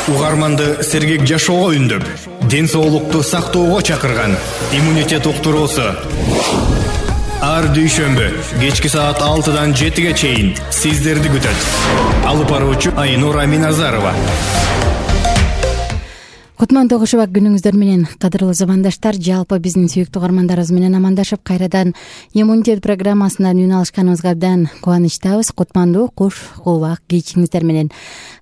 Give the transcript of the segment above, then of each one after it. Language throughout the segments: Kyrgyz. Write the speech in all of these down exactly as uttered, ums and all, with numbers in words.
Угарманды сергек жашоого үндөп, ден соолукту сактоого чакырган иммунитет уктуруусу. Ар дүйшөмбү кечки саат алтыдан жетиге чейин сиздерди күтөт. Алып баруучу Айнура Миназарова. Кутман Тогушева, күнүңүздөр менен кадырлуу замандаштар. Жалпы биздин сүйүктүү угармандарыбыз менен амандашып, кайрадан иммунитет программасынан үн алышканыбызга абдан кубанычтабыз. Кутмандуу куш кулбак кечиңиздер менен.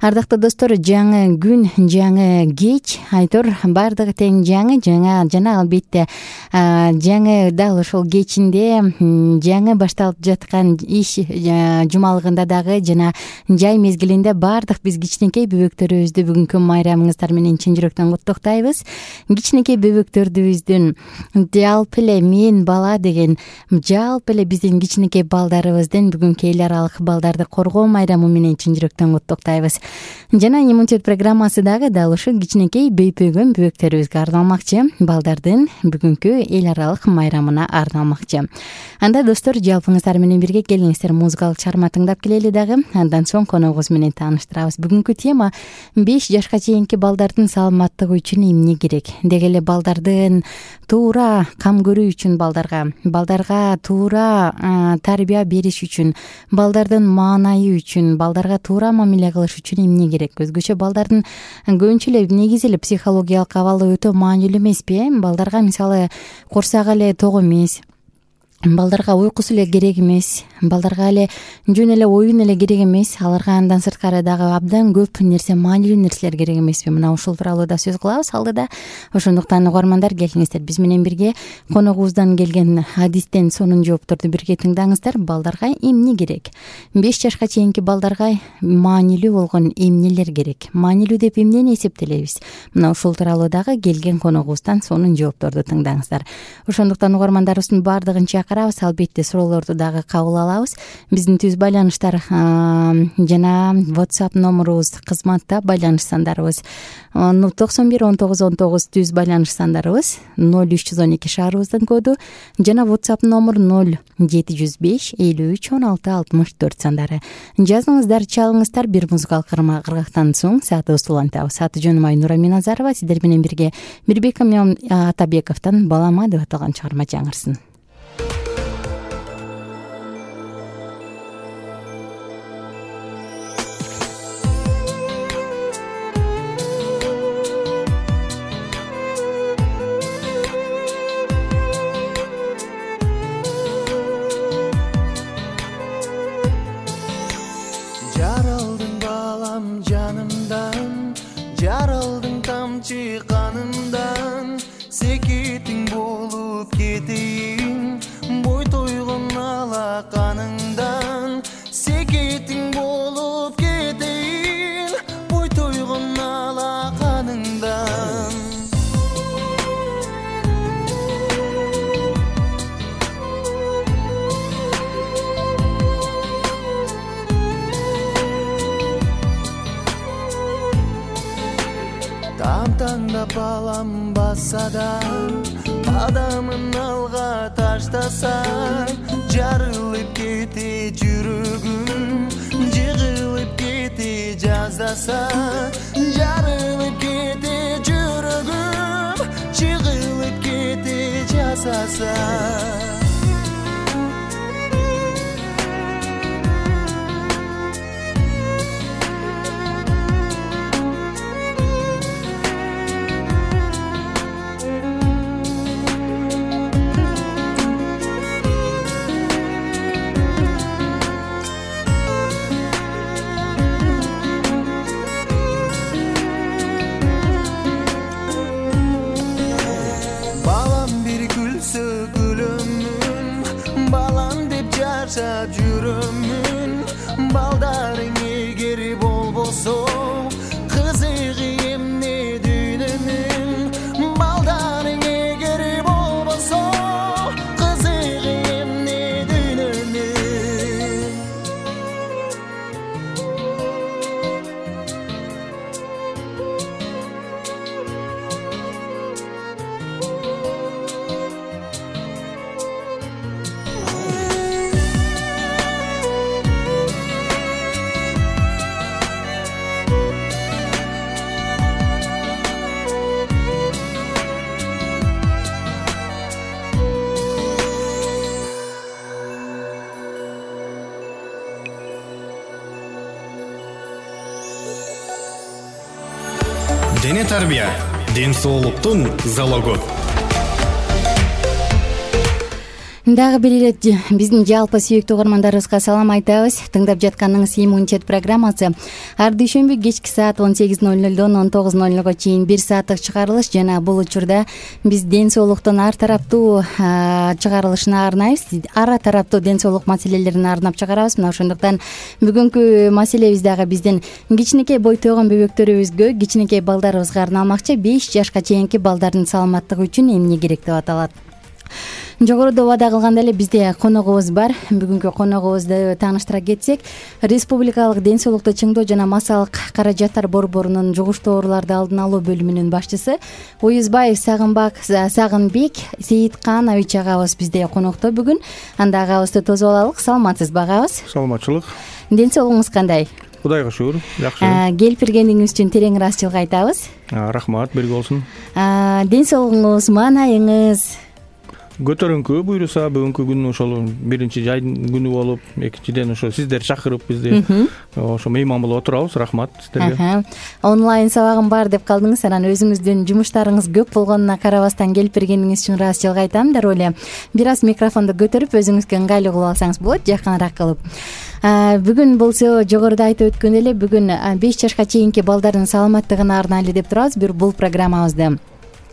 Ардактуу достор, жаңы күн, жаңы кеч, айтор баардыгы тең жаңы, жаңа жана албетте жаңы дал ошол кечинде жаңы башталып жаткан иш жумалыгында дагы жана жай мезгилинде баардык биз кичинекей бөбөктөрүбүздү бүгүнкү майрамыңыздар менен чын жүрөктөн куттуктайбыз. Кичинекей бөбөктөрүбүздүн жалпы эле мен бала деген жалпы эле биздин кичинекей балдарыбыздын бүгүнкү эл аралык балдарды коргоо майрамы менен чын жүрөктөн куттуктайбыз. Жана иммунитет программасы дагы дал ушул кичинекей бөйпөгөн бөбөктөрүбүзгө арналмакчы, балдардын бүгүнкү эл аралык майрамына арналмакчы. Анда достор, жалпыңыздар менен бирге келиңиздер, музыкалык чыгарма тыңдап келели дагы. Андан соң коногубуз менен тааныштырабыз. Бүгүнкү тема беш жашка чейинки балдардын саламаттыгы үчүн эмне керек? Деги эле балдардын туура кам көрүү үчүн, балдарга балдарга туура тарбия бериш үчүн, балдардын маанайы үчүн, балдарга туура мамиле кылыш үчүн эмне керек? Өзгөчө балдардын көбүнчө эле негизи эле психологиялык абалы өтө маанилүү эмеспи? Балдарга мисалы курсак эле ток эмес, балдарга уйкусу эле керек эмес, балдарга эле жөн эле оюн эле керек эмес, аларга андан сырткары дагы абдан көп нерсе, маанилүү нерселер керек эмеспи? Мына ушул тууралуу да сөз кылабыз алдыда. Ошондуктан угармандар, келиңиздер, биз менен бирге коногубуздан келген адистен сонун жоопторду бирге тыңдаңыздар. Балдарга эмне керек? беш жашка чейинки балдарга маанилүү болгон эмнелер керек? Маанилүү деп эмнени эсептелебиз? Мына ушул тууралуу дагы келген коногубуздан сонун жоопторду тыңдаңыздар. Ошондуктан угармандарыбыздын баардыгын чакырабыз, албетте суроолорду дагы кабыл алабыз. Биздин түз байланыштар жана WhatsApp номерубуз, кызматта байланыш сандарыбыз токсон бир он тогуз он тогуз, түз байланыш сандарыбыз ноль үч жүз он эки шаарыбыздын коду, жана WhatsApp номер ноль жети жүз беш элүү үч он алты алтымыш төрт сандары. Жазыңыздар, чалыңыздар. Бир музыкалык кыргактан соң саатыбызды улантабыз. Аты жөнүм Айнура Миназарова. Сиздер менен бирге Мирбек Атабековдон «Балама» деп аталган чыгарма жаңырсын. Жаралдың балам жанымдан, жаралдың тамчы канымдан, секетиң болуп кетейин, бой тойгон алаканыңдан, секетиң болуп кетейин, бой тойгон алаканыңдан. Тамтаңда балам баса да, кадамын алга таштаса, жарылып кете жүрөгүм, жыгылып кете жаздаса, жарылып кете жүрөгүм, жыгылып кете жаздаса. Жашап жүрөмүн, балдарың эгер болбосо, кызыгы эмне дүйнөнүн, балдарың эгер болбосо, кызыгы эмне дүйнөнүн. дене тарбия, ден соолуктун залогу. Дагы бир ирет биздин жалпы сүйүктүү угармандарыбызга салам айтабыз. Тыңдап жатканыңыз иммунитет программасы ар дүйшөмбү кечки саат он сегиз ноль нолдон он тогуз ноль нолго чейин бир сааттык чыгарылыш жана бул учурда биз ден соолуктун ар тараптуу чыгарылышына арнайбыз. Ар тараптуу ден соолук маселелерине арнап чыгарабыз. Мына ошондуктан бүгүнкү маселебиз дагы биздин кичинекей бой тойгон бөбөктөрүбүзгө, кичинекей балдарыбызга арналмакчы. беш жашка чейинки балдардын саламаттыгы үчүн эмне керек деп аталат. Жогоруда убада кылгандай эле бизде коногубуз бар. Бүгүнкү коногубузду тааныштыра кетсек, Республикалык ден соолукту чыңдоо жана массалык каражаттар борборунун жугуштуу ооруларды алдын алуу бөлүмүнүн башчысы Уюзбаев Сагынбак Сагынбек Сейитканович агабыз бизде конокто бүгүн. Анда агабызды тосуп алалык. Саламатсызбы агабыз? Саламатчылык. Ден соолугуңуз кандай? Кудайга шүгүр, жакшы. Келип бергениңиз үчүн терең ыраазычылык айтабыз. Рахмат, бирге болсун. Ден соолугуңуз, маанайыңыз көтөрүңкү буюрса, бүгүнкү күн ошол биринчи жайдын күнү болуп, экинчиден ошо сиздер чакырып бизди ошо мейман болуп отурабыз. Рахмат сиздерге. Онлайн сабагым бар деп калдыңыз. Анан өзүңүздүн жумуштарыңыз көп болгонуна карабастан келип бергениңиз үчүн ыраазычылык айтам. Дароо эле бир аз микрофонду көтөрүп өзүңүзгө ыңгайлуу кылып алсаңыз болот, жакыныраак кылып. Бүгүн болсо жогоруда айтып өткөндөй эле бүгүн беш жашка чейинки балдардын саламаттыгына арнайлуу деп турабыз бул программабызды.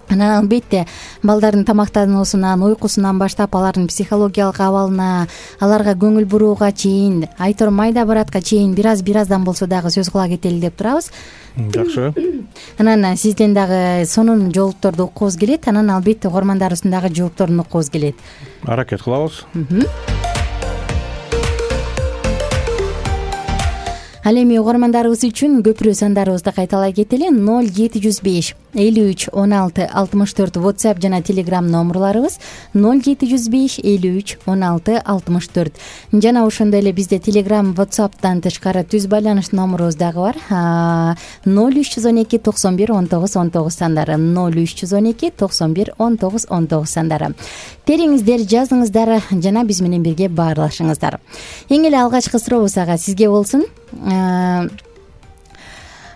Анан албетте балдардын тамактануусунан, уйкусунан баштап алардын психологиялык абалына, аларга көңүл бурууга чейин, айтор майда баратка чейин бир аз бир аздан болсо дагы сөз кыла кетели деп турабыз. Жакшы. Анан сизден дагы сонун жоопторду уккубуз келет. Анан албетте угармандарыбыздын дагы жоопторун уккубуз келет. Аракет кылабыз. Ал эми угармандарыбыз үчүн көпүрө сандарыбызды кайталай кетели. ноль жети жүз беш элүү үч он алты алтымыш төрт WhatsApp жана Telegram номерларыбыз ноль жети жүз беш элүү үч он алты алтымыш төрт. Жана ошондой эле бизде Telegram, WhatsApp'тан тышкары түз байланыш номерубуз дагы бар. ноль үч жүз он эки токсон бир он тогуз он тогуз сандары. ноль үч жүз он эки токсон бир он тогуз он тогуз сандары. Териңиздер, жазыңыздар жана биз менен бирге баарлашыңыздар. Эң эле алгачкы сурообуз ага сизге болсун.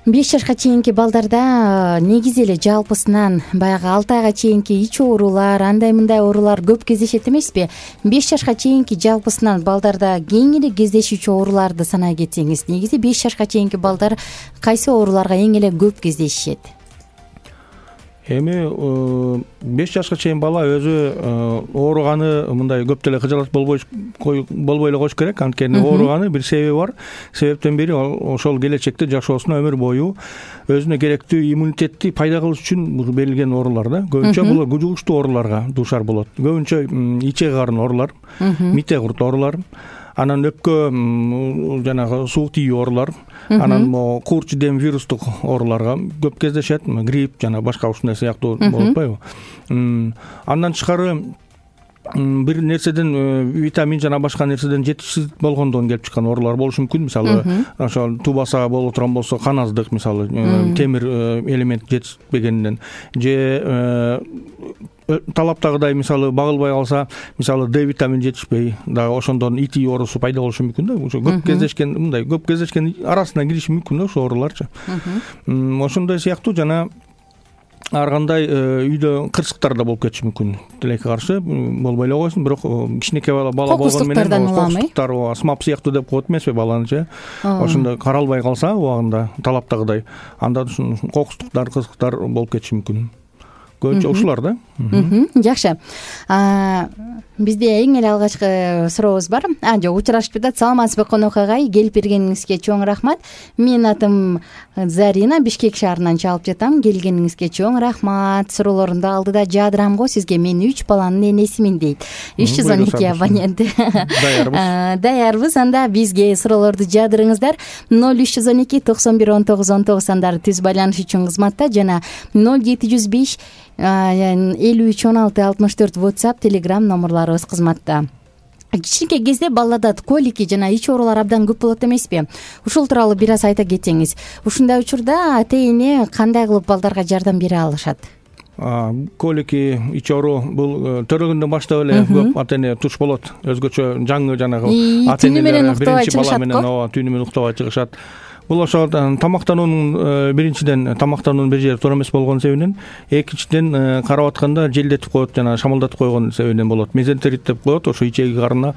беш жашка чейинки балдарда негизи эле жалпысынан баягы алты айга чейинки ич оорулар, андай мындай оорулар көп кездешет эмеспи? беш жашка чейинки жалпысынан балдарда кең эле кездешүүчү ооруларды санай кетсеңиз, негизи беш жашка чейинки балдар кайсы ооруларга эң эле көп кездешишет? Эми беш жашка чейин бала өзү ооруганы мындай көп деле кыжалат болбой болбой эле коюш керек. Анткени ооруганы бир себеби бар. Себептен бири ошол келечекте жашоосуна өмүр бою өзүнө керектүү иммунитетти пайда кылыш үчүн берилген оорулар да. Көбүнчө булар жугуштуу ооруларга дуушар болот. Көбүнчө ичеги карын оорулар, мите курт оорулар, анан өпкө жанагы суук тийүү оорулар, анан могу куурч дем вирустук ооруларга көп кездешет, грипп жана башка ушундай сыяктуу болуп атпайбы. Андан тышкары бир нерседен витамин жана башка нерседен жетишсиз болгондон келип чыккан оорулар болушу мүмкүн. Мисалы, ошол тубаса болуп турган болсо кан аздык, мисалы, темир элемент жетишпегенден же талаптагыдай мисалы багылбай калса, мисалы Д витамин жетишпей, дагы ошондон ити оорусу пайда болушу мүмкүн да. Ошо көп кездешкен, мындай көп кездешкен арасына кириши мүмкүн да ошо ооруларчы. Ошондой сыяктуу жана ар кандай үйдө кырсыктар да болуп кетиши мүмкүн. Тилекке каршы болбой эле койсун, бирок кичинекей бала бала болгону менен кокустуктар, астмап сыяктуу деп коет эмеспи баланычы. Ошондо каралбай калса убагында талаптагыдай, анда кокустуктар, кырсыктар болуп кетиши мүмкүн. Көбүнчө ушулар да. Жакшы. Бизде эң эле алгачкы сурообуз бар. А, жок, учурашып жатат. Саламатсызбы конок агай? Келип бергениңизге чоң рахмат. Менин атым Зарина, Бишкек шаарынан чалып жатам. Келгениңизге чоң рахмат. Суроолорунду алдыда жаадырам го сизге. Мен үч баланын энесимин дейт. үч жүз он эки абонент. Даярбыз. Даярбыз. Анда бизге суроолорду жаадырыңыздар. ноль үч жүз он эки токсон бир он тогуз он тогуз сандары түз байланыш үчүн кызматта жана ноль жети жүз беш элүү үч он алты алтымыш төрт WhatsApp, Telegram номерларыбыз кызматта. Кичинекей кезде балдарда колики жана ич оорулар абдан көп болот эмеспи? Ушул тууралуу бир аз айта кетсеңиз. Ушундай учурда ата-эне кандай кылып балдарга жардам бере алышат? Колики, ич оору бул төрөгөндөн баштап эле көп ата-эне туш болот. Өзгөчө жаңы жанагы ата-энелер биринчи бала менен ооба түнү менен уктабай чыгышат. бул ошо тамактануунун биринчиден тамактануунун бир жери туура эмес болгон себебинен, экинчиден карап атканда желдетип коет, жана шамалдатып койгон себебинен болот. Мезентерит деп коет, ошо ичеги карына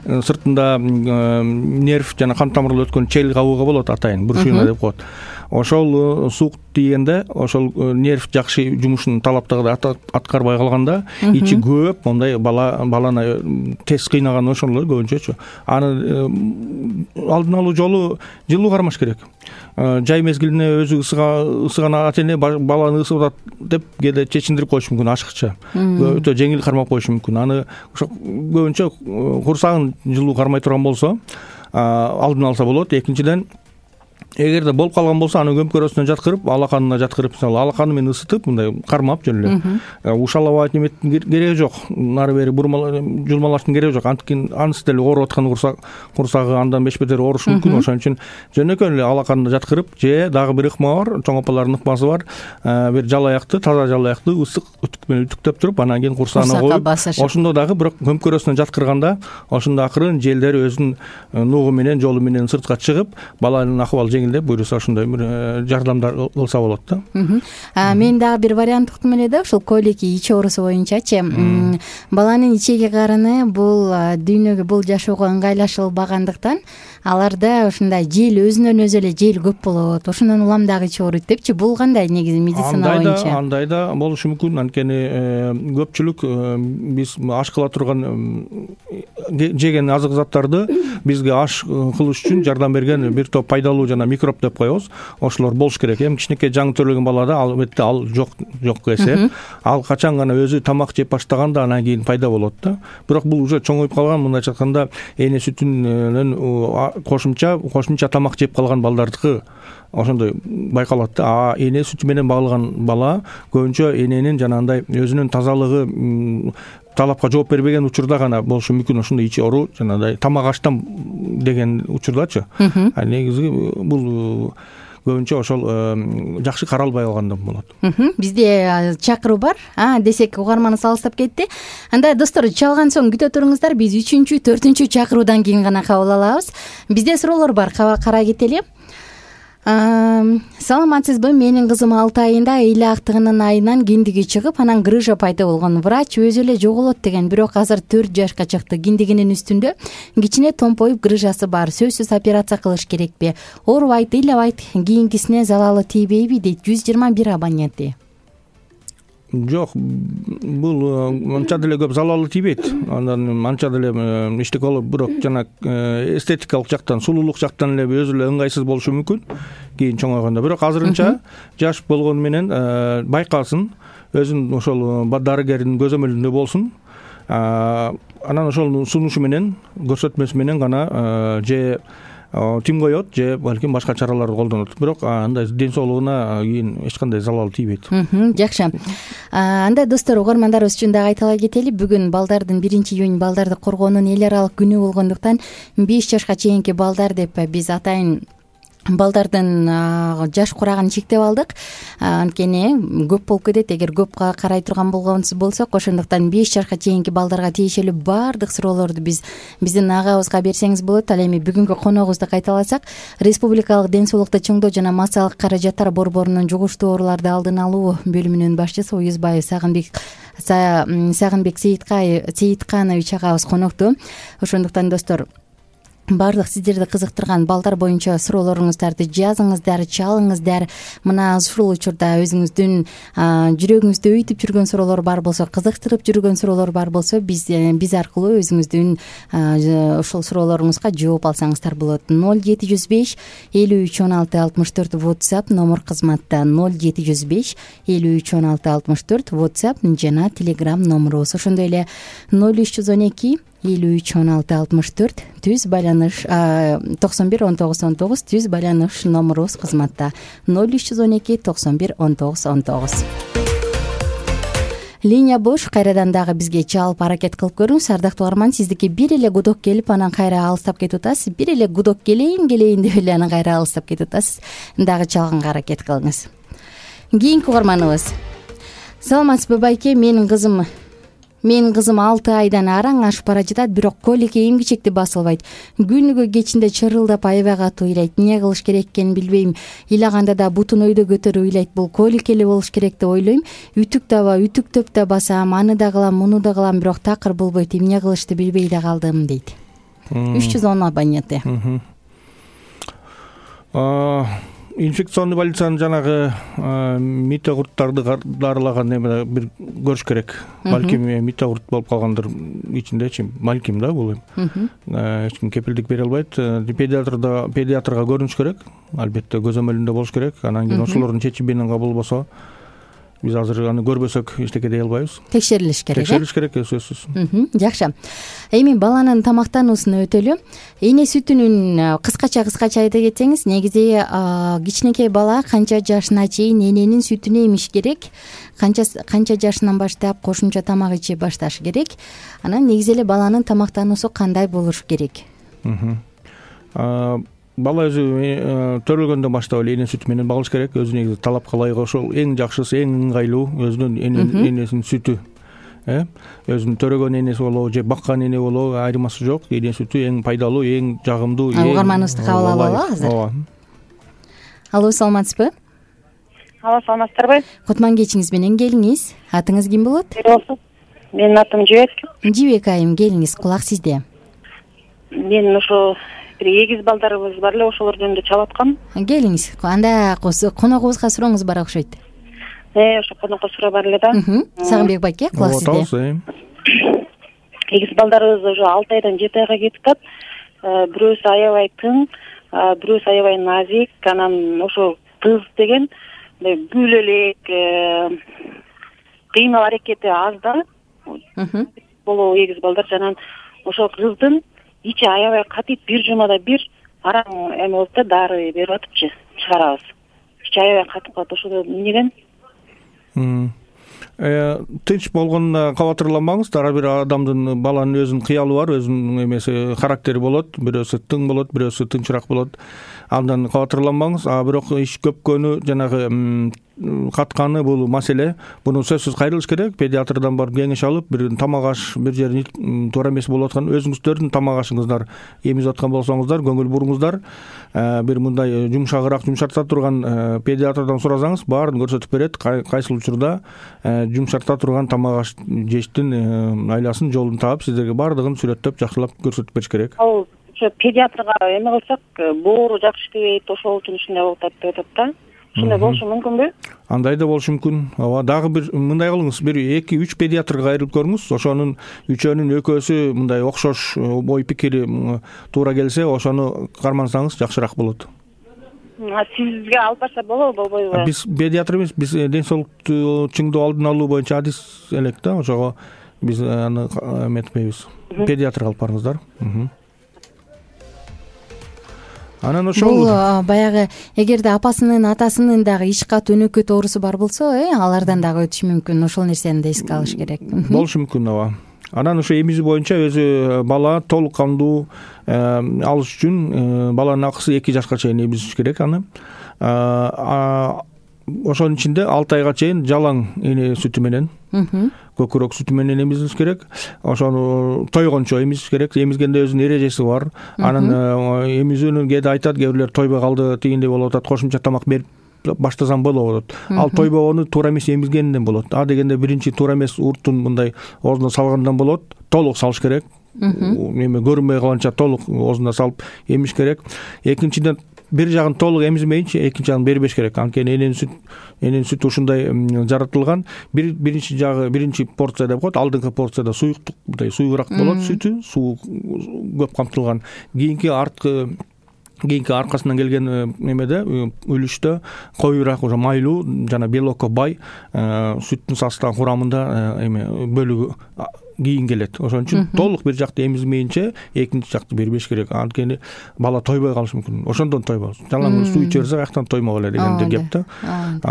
сыртында нерв жана кан тамырлар өткөн чел кабыгы болот, атайын брюшина деп коет. Ошол суук тийгенде ошол нерв жакшы жумушун талаптагыдай аткарбай калганда ичи көп, мондай бала баланы тез кыйнаган ошол эле көбүнчөчү. Аны алдын алуу жолу жылуу кармаш керек. Жай мезгилине өзү ысыган ата эне баланы ысып атат деп кээде чечиндирип коюшу мүмкүн ашыкча. Өтө жеңил кармап коюшу мүмкүн. Аны ошо көбүнчө курсагын жылуу кармай турган болсо алдын алса болот. Экинчиден, эгерде болуп калган болсо, аны көмкөрөсүнө жаткырып, алаканына жаткырып, мисалы алаканы менен ысытып, мындай кармап жөн эле ушалабай неметтин кереги жок. Нары бери жулмалаштын кереги жок. Анткени анысы деле ооруп аткан курсак, курсагы андан беш бетер оорушу мүмкүн. Ошон үчүн жөнөкөй эле алаканына жаткырып, же дагы бир ыкма бар, чоң апалардын ыкмасы бар. Бир жалаякты, таза жалаякты ысык үтүк менен үтүктөп туруп, анан кийин курсагына коюп, ошондо дагы бирок көмкөрөсүнө жаткырганда, ошондо акырын желдер өзүнүн нугу менен, жолу менен сыртка чыгып, баланын акыбалы жеңилдеп, буюрса ошондой бир жардамдар кылса болот да. Мен дагы бир вариант уктум эле да, ушул колики ич оорусу боюнчачы. Баланын ичеги карыны бул дүйнөгө, бул жашоого ыңгайлашылбагандыктан аларда ушундай жел, өзүнөн өзү эле жел көп болот. Ошондон улам дагы ич ооруйт депчи. Бул кандай негизи медицина боюнча? Андай да болушу мүмкүн. Анткени көпчүлүк биз аш кыла турган жеген азык заттарды бизге аш кылыш үчүн жардам берген бир топ пайдалуу жана микроб деп коебуз. Ошолор болуш керек. Эми кичинекей жаңы төрөлгөн балада албетте ал жок жок эсеп. Ал качан гана өзү тамак жеп баштаганда анан кийин пайда болот да. Бирок бул уже чоңоюп калган, мындайча айтканда эне сүтүнөн кошумча кошумча тамак жеп калган балдардыкы ошондой байкалат да. А эне сүтү менен багылган бала көбүнчө эненин жанагындай өзүнүн тазалыгы талапка жооп бербеген учурда гана болушу мүмкүн ошондой ичи оору, жанагындай тамак аштан деген учурдачы. А негизи бул көбүнчө ошол жакшы каралбай калгандан болот. Бизде чакыруу бар, а десек угарманыбыз алыстап кетти. Анда достор, чалган соң күтө туруңуздар, биз үчүнчү, төртүнчү чакыруудан кийин гана кабыл алабыз. Бизде суроолор бар, карай кетели. Саламатсызбы? Менин кызым алты айында эйле актыгынын айынан киндиги чыгып, анан грыжа пайда болгон. Врач өзү эле жоголот деген, бирок азыр төрт жашка чыкты. Киндигинин үстүндө кичине томпоюп грыжасы бар. Сөзсүз операция кылыш керекпи? Оорубайт, ыйлабайт, кийинкисине залалы тийбейби дейт жүз жыйырма бир абоненти. Жок, бул анча деле көп залалы тийбейт. Андан анча деле иштик болуп, бирок жана эстетикалык жактан, сулуулук жактан эле өзү эле ыңгайсыз болушу мүмкүн кийин чоңойгондо. Бирок азырынча жаш болгону менен байкалсын, өзүнүн ошол дарыгердин көзөмөлүндө болсун. Анан ошол сунушу менен, көрсөтмөсү менен гана же тим коет, же балким башка чараларды колдонот. Бирок андай ден соолугуна кийин эч кандай залал тийбейт. Жакшы. Анда достор, угармандарыбыз үчүн дагы айтыла кетели. Бүгүн балдардын биринчи июнь балдарды коргоонун эл аралык күнү болгондуктан беш жашка чейинки балдар деп биз атайын балдардын жаш курагын чектеп алдык. Анткени көп болуп кетет, эгер көп карай турган болсок. Ошондуктан беш жашка чейинки балдарга тиешелүү баардык суроолорду биз биздин агабызга берсеңиз болот. Ал эми бүгүнкү коногубузду кайталасак, Республикалык ден соолукту чоңдоо жана массалык каражаттар борборунун жугуштуу ооруларды алдын алуу бөлүмүнүн башчысы Уюзбаев Сагынбек Сагынбек Сейитканович агабыз конокто. Ошондуктан достор, баардык сиздерди кызыктырган балдар боюнча суроолоруңуздарды жазыңыздар, чалыңыздар. Мына ушул учурда өзүңүздүн жүрөгүңүздү өйтүп жүргөн суроолор бар болсо, кызыктырып жүргөн суроолор бар болсо, биз биз аркылуу өзүңүздүн ошол суроолоруңузга жооп алсаңыздар болот. ноль жети жүз беш элүү үч он алты алтымыш төрт WhatsApp номер кызматта, ноль жети жүз беш элүү үч он алты алтымыш төрт WhatsApp жана Telegram номерубуз. Ошондой эле ноль үч жүз он эки элүү үч он алты алтымыш төрт түз байланыш токсон бир он тогуз он тогуз түз байланыш номерубуз кызматта, ноль үч жүз он эки токсон бир он тогуз он тогуз. Линия бош, кайрадан дагы бизге чалып аракет кылып көрүңүз. Ардактуу угарман, сиздики бир эле гудок келип, анан кайра алыстап кетип атасыз. Бир эле гудок келейин келейин деп эле анан кайра алыстап кетип атасыз. Дагы чалганга аракет кылыңыз. Кийинки угарманыбыз. Саламатсызбы байке, менин кызым менин кызым алты айдан араң ашып бара жатат, бирок колике эми-кечекти басылбайт. Күнүгө кечинде чырылдап аябай катуу ыйлайт. Эмне кылыш керек экенин билбейм. Ыйлаганда да бутун өйдө көтөрүп ыйлайт. Бул колик эле болуш керек деп ойлойм. Үтүк таба, үтүктөп да басам, аны да кылам, муну да кылам, бирок такыр болбойт. Эмне кылышты билбей да калдым дейт. үч жүз он абоненти. Инфекционный больницанын жанагы митокурттарды дарылаган эме бир көрүш керек. Балким митокурт болуп калгандыр ичиндечи, балким да бул эми. Эч ким кепилдик бере албайт. Педиатрда педиатрга көрүнүш керек. Албетте көзөмөлүндө болуш керек. Анан кийин ошолордун чечими менен кабыл болсо, биз азыр аны көрбөсөк эчтеке дей албайбыз. Текшерилиш керек. Текшерилиш керек, сөзсүз. Жакшы. Эми баланын тамактануусуна өтөлү. Эне сүтүнүн кыскача кыскача айта кетсеңиз, негизи кичинекей бала канча жашына чейин эненин сүтүн эмиш керек, канча канча жашынан баштап кошумча тамак иче башташ керек. Анан негизи эле баланын тамактануусу кандай болуш керек? Бала өзү төрөлгөндөн баштап эле эне сүтү менен багыш керек. Өзү негизи талапка ылайык ошол эң жакшысы, эң ыңгайлуу өзүнүн энесинин сүтү. Э, өзүнүн төрөгөн энеси болобу же баккан эне болобу, айырмасы жок. Эне сүтү эң пайдалуу, эң жагымдуу. Угарманыбызды кабыл алалы азыр. Ооба. Алло, саламатсызбы? Алло, саламатсыздарбы? Кутман кечиңиз менен келиңиз. Атыңыз ким болот? Менин атым Жибек. Жибек айым, келиңиз, кулак сизде. Мен ошо бир эгиз балдарыбыз бар эле, ошолор жөнүндө чалып аткам. Келиңиз. Анда коногубузга сурооңуз бар окшойт. Э, ошо конокко суроо бар эле да. Сагынбек байке, кулак сизде. Эгиз балдарыбыз уже алты айдан жети айга кетип атат. Бирөөсү аябай тың, бирөөсү аябай назик. Анан ошо кыз деген бүл элек, кыймыл аракети аз да. Боло эгиз балдар. Анан ошо кыздын ичи аябай катыйт, бир жумада бир араң эме болот да, дары берип атыпчы, чыгарабыз. Ичи аябай катып калат. Ошо эмнеден? Тынч болгонуна кабатырланбаңыз. Ар бир адамдын, баланын өзүнүн кыялы бар, өзүнүн эмеси, характери болот. Бирөөсү тың болот, бирөөсү тынчыраак болот. Андан кабатырланбаңыз. А бирок иш көпкөнү, жанагы катканы бул маселе. Буну сөзсүз кайрылыш керек. Педиатрдан барып кеңеш алып, бир тамак аш бир жерин туура эмес болуп аткан, өзүңүздөрдүн тамак ашыңыздар эмизип аткан болсоңуздар, көңүл буруңуздар. Бир мындай жумшагыраак, жумшарта турган педиатрдан сурасаңыз, баарын көрсөтүп берет. Кайсыл учурда жумшарта турган тамак аш жештин айласын, жолун таап, сиздерге баардыгын сүрөттөп, жакшылап көрсөтүп бериш керек. Ал ошо педиатрга эме кылсак, боору жакшы иштебейт, ошол үчүн ушундай болуп атат деп атат да. Ушундай болушу мүмкүнбү? Андай да болушу мүмкүн. Ооба, дагы бир мындай кылыңыз, бир эки үч педиатрга кайрылып көрүңүз. Ошонун үчөөнүн экөөсү мындай окшош ой пикири туура келсе, ошону кармансаңыз жакшыраак болот. Сизге алып барса болобу, болбойбу? Биз педиатр эмес, биз ден соолукту чыңдоо алдын алуу боюнча адис элек да, ошого биз аны эметпейбиз. Педиатрга алып барыңыздар. Анан ошол бул баягы эгерде апасынын, атасынын дагы ич кат өнөкөт оорусу бар болсо, э, алардан дагы өтүшү мүмкүн. Ошол нерсени да эске алыш керек. Болушу мүмкүн, ооба. Анан ошо эмизүү боюнча өзү бала толук кандуу алыш үчүн баланын акысы эки жашка чейин эмизиш керек аны. Ошонун ичинде алты айга чейин жалаң эне сүтү менен, көкүрөк сүтү менен эмизилиш керек. Ошону тойгончо эмизиш керек. Эмизгенде өзүнүн эрежеси бар. Анан эмизүүнү кээде айтат, кээ бирлер тойбой калды, тигиндей болуп атат, кошумча тамак берип баштасам болот. Ал тойбогону туура эмес эмизгенден болот. А дегенде биринчи туура эмес уртун мындай оозуна салгандан болот. Толук салыш керек. Эме көрүнбөй калганча толук оозуна салып эмиш керек. Экинчиден бир жагын толук эмизмейинчи, экинчи жагын бербеш керек. Анткени эненин сүт, эненин сүтү ушундай жаратылган. Бир биринчи жагы, биринчи порция деп коет, алдыңкы порцияда суюктук, мындай суюгураак болот сүтү, суу көп камтылган. Кийинки арткы кийинки аркасынан келген эмеде, үлүштө коюураак, уже майлуу жана белокко бай сүттүн состав курамында эме бөлүгү кийин келет. Ошон үчүн толук бир жакты эмизмейинче экинчи жакты бербеш керек. Анткени бала тойбой калышы мүмкүн. Ошондон тойбойт. Жалаң суу иче берсе каяктан тоймок эле дегенде кеп да.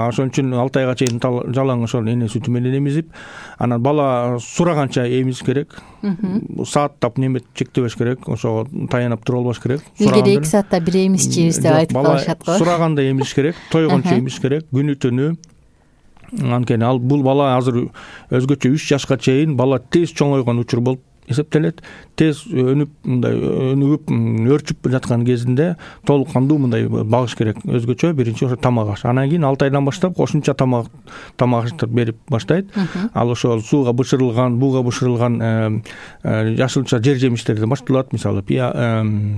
Ошон үчүн алты айга чейин жалаң ошол эне сүтү менен эмизип, анан бала сураганча эмизиш керек. Сааттап неме чектебеш керек. Ошого таянып туруп албаш керек. Илгери эки саатта бир эмизчибиз деп айтып калышат го. Сураганда эмизиш керек, тойгончо эмизиш керек. Күнү түнү анткени ал бул бала азыр өзгөчө үч жашка чейин бала тез чоңойгон учур болуп эсептелет. Тез өнүп мындай өнүгүп өрчүп жаткан кезинде толук кандуу мындай багыш керек. Өзгөчө биринчи ошо тамак аш. Анан кийин алты айдан баштап кошумча тамак тамак аштырып берип баштайт. Ал ошол сууга бышырылган, буга бышырылган жашылча жер жемиштерден башталат. Мисалы,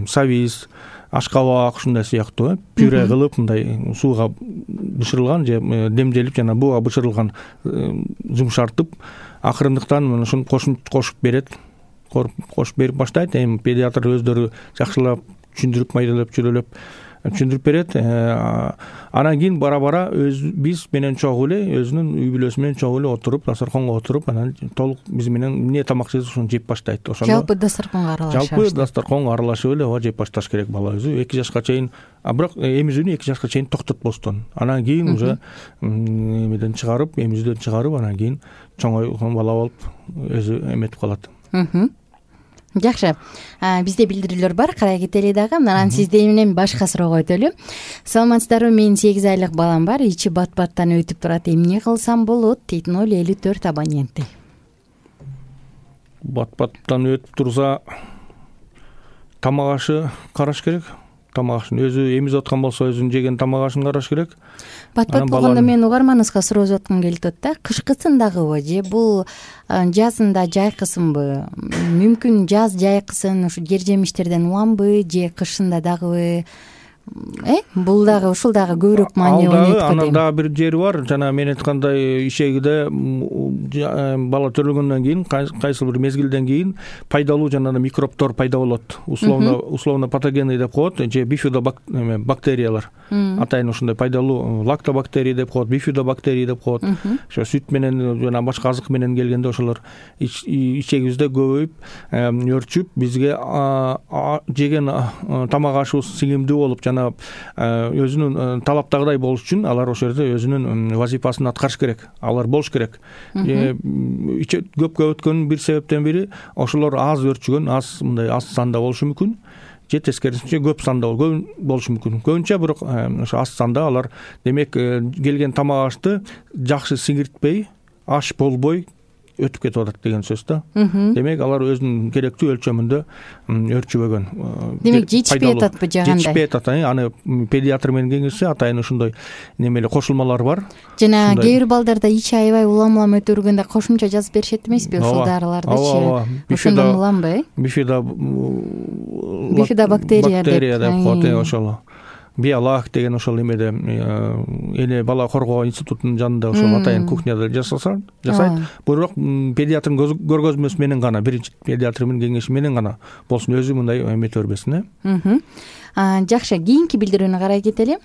сабиз, ашкабак ушундай сыяктуу пюре кылып мындай сууга бышырылган же демделип жана буга бышырылган жумшартып акырындыктан ушуну кошуп берет. Кошуп берип баштайт. Эми педиатр өздөрү жакшылап түшүндүрүп, майдалап, чүрөлөп түшүндүрүп берет. Анан кийин бара-бара өз биз менен чогуу эле өзүнүн үй бүлөсү менен чогуу эле отуруп, дасторконго отуруп, анан толук биз менен эмне тамак жесе ошону жеп баштайт. Ошондо жалпы дасторконго аралашып жалпы дасторконго аралашып эле ооба жеп башташ керек бала өзү. эки жашка чейин, а бирок эмизүүнү эки жашка чейин токтотпостон. Анан кийин уже эмеден чыгарып, эмизүүдөн чыгарып, анан кийин чоңойгон бала болуп өзү эметип калат. Жакшы. Бизде билдирүүлөр бар, карай кетели дагы. Анан сизден менен башка суроого өтөлү. Саламатсыздарбы? Менин сегиз айлык балам бар. Ичи бат-баттан өтүп турат. Эмне кылсам болот? дейт ноль элүү төрт абоненти. Бат-баттан өтүп турса, тамак ашы караш керек. Тамак ашын өзү эмизип аткан болсо, өзүнүн жеген тамак ашын караш керек. Бат-бат болгондо мен угарманыбызга суроо аткым келип атат да. Кышкысын дагыбы же бул жазында жайкысынбы? Мүмкүн жаз жайкысын ушу жер жемиштерден уламбы же кышында дагыбы? Э, бул дагы ушул дагы көбүрөөк маани ойнойт. Анан дагы бир жери бар. Жана мен айткандай ишегиде бала төрөлгөндөн кийин кайсы бир мезгилден кийин пайдалуу жана микробтор пайда болот. Условно условно патогенный деп коет, же бифидобактериялар. Атайын ушундай пайдалуу лактобактерия деп коет, бифидобактерия деп коет. Ошо сүт менен жана башка азык менен келгенде ошолор ичегибизде көбөйүп, өрчүп, бизге жеген тамак ашыбыз сиңимдүү болуп жана өзүнүн талаптагыдай болуш үчүн алар ошол жерде өзүнүн вазифасын аткарыш керек. Алар болуш керек. Көп өткөн бир себептен бири ошолор аз өрчүгөн, аз мындай аз санда болушу мүмкүн. Же тескерисинче көп санда болушу мүмкүн. Көбүнчө бирок ошо аз санда алар демек келген тамак ашты жакшы сиңиртпей, аш болбой өтүп кетип атат деген сөз да. Демек алар өзүнүн керектүү өлчөмүндө өрчүбөгөн. Демек жетишпей ататпы жагандай? Жетишпей атат. Аны педиатр менен кеңешсе атайын ушундай немеле кошулмалар бар. Жана кээ бир балдарда ичи аябай улам-улам өтө бергенде кошумча жазып беришет эмеспи ушул дарылардычы? Ошондон уламбы, э? Бифидо бифидобактерия деп коет, ошол. Биолак деген ошол эмеде эне бала коргоо институтунун жанында ошол атайын кухняда жасаса, жасайт. Бирок педиатрдын көргөзмөсү менен гана, биринчи педиатр менен кеңеши менен гана болсун, өзү мындай эмете бербесин, э? Жакшы, кийинки билдирүүнү карай кетели.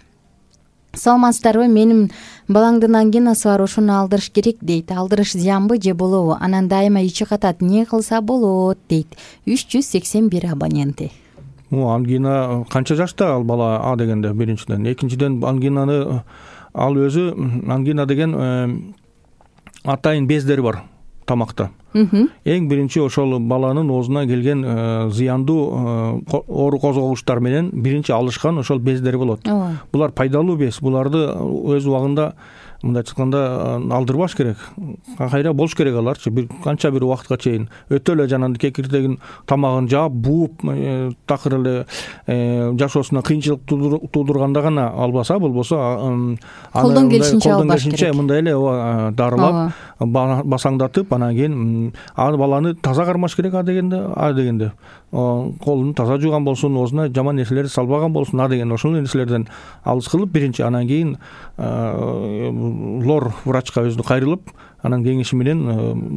Саламатсыздарбы? Менин балаңдын ангинасы бар, ошону алдырыш керек дейт. Алдырыш зыянбы же болобу? Анан дайыма ичи катат, эмне кылса болот дейт. үч жүз сексен бир абоненти. Ангина канча жашта ал бала а дегенде биринчиден, экинчиден ангинаны ал өзү ангина деген атайын бездери бар тамакта. Эң биринчи ошол баланын оозуна келген зыяндуу оору козгогучтар менен биринчи алышкан ошол бездери болот. Булар пайдалуу без, буларды өз убагында мындай айтканда алдырбаш керек. Кайра болуш керек аларчы. Бир канча бир убакытка чейин өтө эле жанагы кекирдегин тамагын жаап, бууп, такыр эле жашоосуна кыйынчылык туудурганда гана албаса, болбосо колдон келишинче албаш керек. Мындай эле дарылап, басаңдатып, анан кийин ал баланы таза кармаш керек а дегенде, а дегенде. Колун таза жууган болсун, оозуна жаман нерселерди салбаган болсун, а деген ошол нерселерден алыс кылып биринчи, анан кийин лор врачка өзү кайрылып, анан кеңеши менен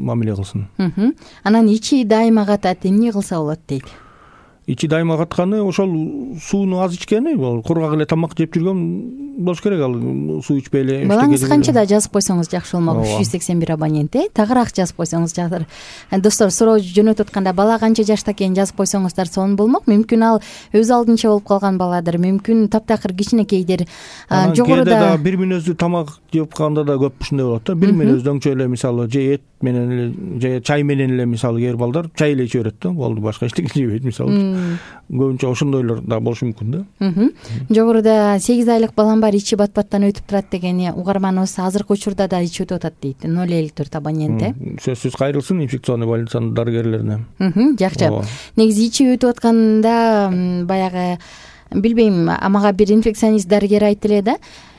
мамиле кылсын. Анан ичи дайыма катат, эмне кылса болот дейт? Ичи дайыма катканы ошол сууну аз ичкени, кургак эле тамак жеп жүргөн болуш керек, ал суу ичпей эле. Балаңыз канчада жазып койсоңуз жакшы болмок? үч жүз сексен бир абонент, э? Тагыраак жазып койсоңуз жакшы. Достор, суроо жөнөтүп атканда бала канча жашта экенин жазып койсоңуздар сонун болмок. Мүмкүн ал өз алдынча болуп калган баладыр, мүмкүн таптакыр кичинекейдир. Жогоруда бир мүнөздүү тамак жеп калганда да көп ушундай болот да. Бир мүнөздүү өңчө эле мисалы же эт менен эле же чай менен эле мисалы кээ бир балдар чай эле иче берет да, болду, башка эчтеке жебейт мисалы. көбүнчө ошондойлор да болушу мүмкүн да. Жогоруда сегиз айлык балам бар, ичи бат баттан өтүп турат деген угарманыбыз азыркы учурда да ичи өтүп атат дейт. ноль элүү төрт абонент э. Сөзсүз кайрылсын инфекционный больницанын дарыгерлерине. Жакшы. Негизи ичи өтүп атканда баягы билбейм, мага бир инфекционист дарыгер айтты эле да.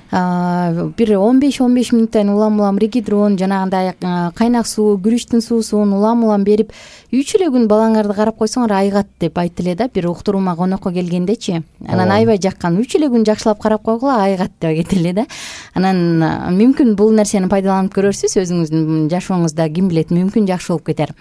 Бир он беш он беш мүнөттөн улам улам регидрон жанагындай кайнак суу, күрүчтүн суусун улам улам берип үч эле күн балаңарды карап койсоңор айыгат деп айтты эле да. Бир уктуруума конокко келгендечи. Анан аябай жаккан. үч эле күн жакшылап карап койгула айыгат деп айтты эле да. Анан мүмкүн бул нерсени пайдаланып көрөрсүз, өзүңүздүн жашооңузда ким билет, мүмкүн жакшы болуп кетер.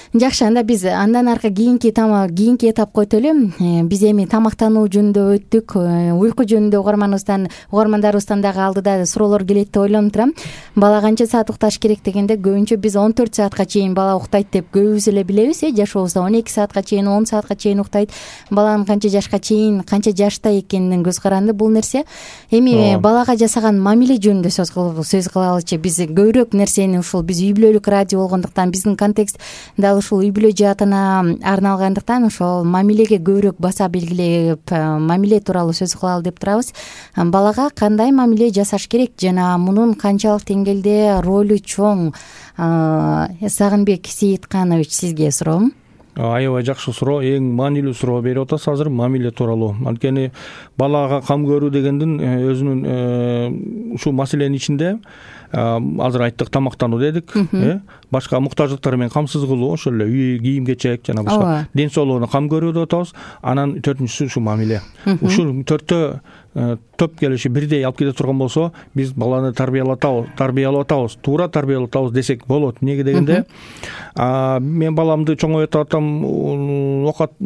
Жакшы, анда биз андан аркы кийинки кийинки этапка өтөлү. Биз эми тамактануу жөнүндө өттүк, уйку жөнүндө угарманыбыздан угармандарыбыздан дагы алдыда суроолор келет деп ойлонуп турам. Бала канча саат укташ керек дегенде көбүнчө биз он төрт саатка чейин бала уктайт деп көбүбүз эле билебиз э. Жашообузда он эки саатка чейин, он саатка чейин уктайт. Баланын канча жашка чейин, канча жашта экенинен көз каранды бул нерсе. Эми балага жасаган мамиле жөнүндө сөз кылып сөз кылалычы. Биз көбүрөөк нерсени ушул биз үй бүлөлүк радио болгондуктан биздин контекст ушул үй бүлө жаатына арналгандыктан ошол мамилеге көбүрөөк баса белгилеп, мамиле тууралуу сөз кылалы деп турабыз. Балага кандай мамиле жасаш керек жана мунун канчалык деңгээлде ролу чоң? Сагынбек Сейитканович, сизге суроом. Аябай жакшы суроо, эң маанилүү суроо берип атасыз азыр, мамиле тууралуу. Анткени балага кам көрүү дегендин өзүнүн ушул маселенин ичинде азыр айттык, тамактануу дедик, э башка муктаждыктары менен камсыз кылуу, ошол эле үй кийим кечек жана башка ден соолугуна кам көрүү деп атабыз. Анан төртүнчүсү ушу мамиле. Ушул төртөө топ келиши бирдей алып кете турган болсо, биз баланы тарбиялатабыз, тарбиялап атабыз, туура тарбиялап атабыз десек болот. Эмнеге дегенде, мен баламды чоңойтуп атам, оокат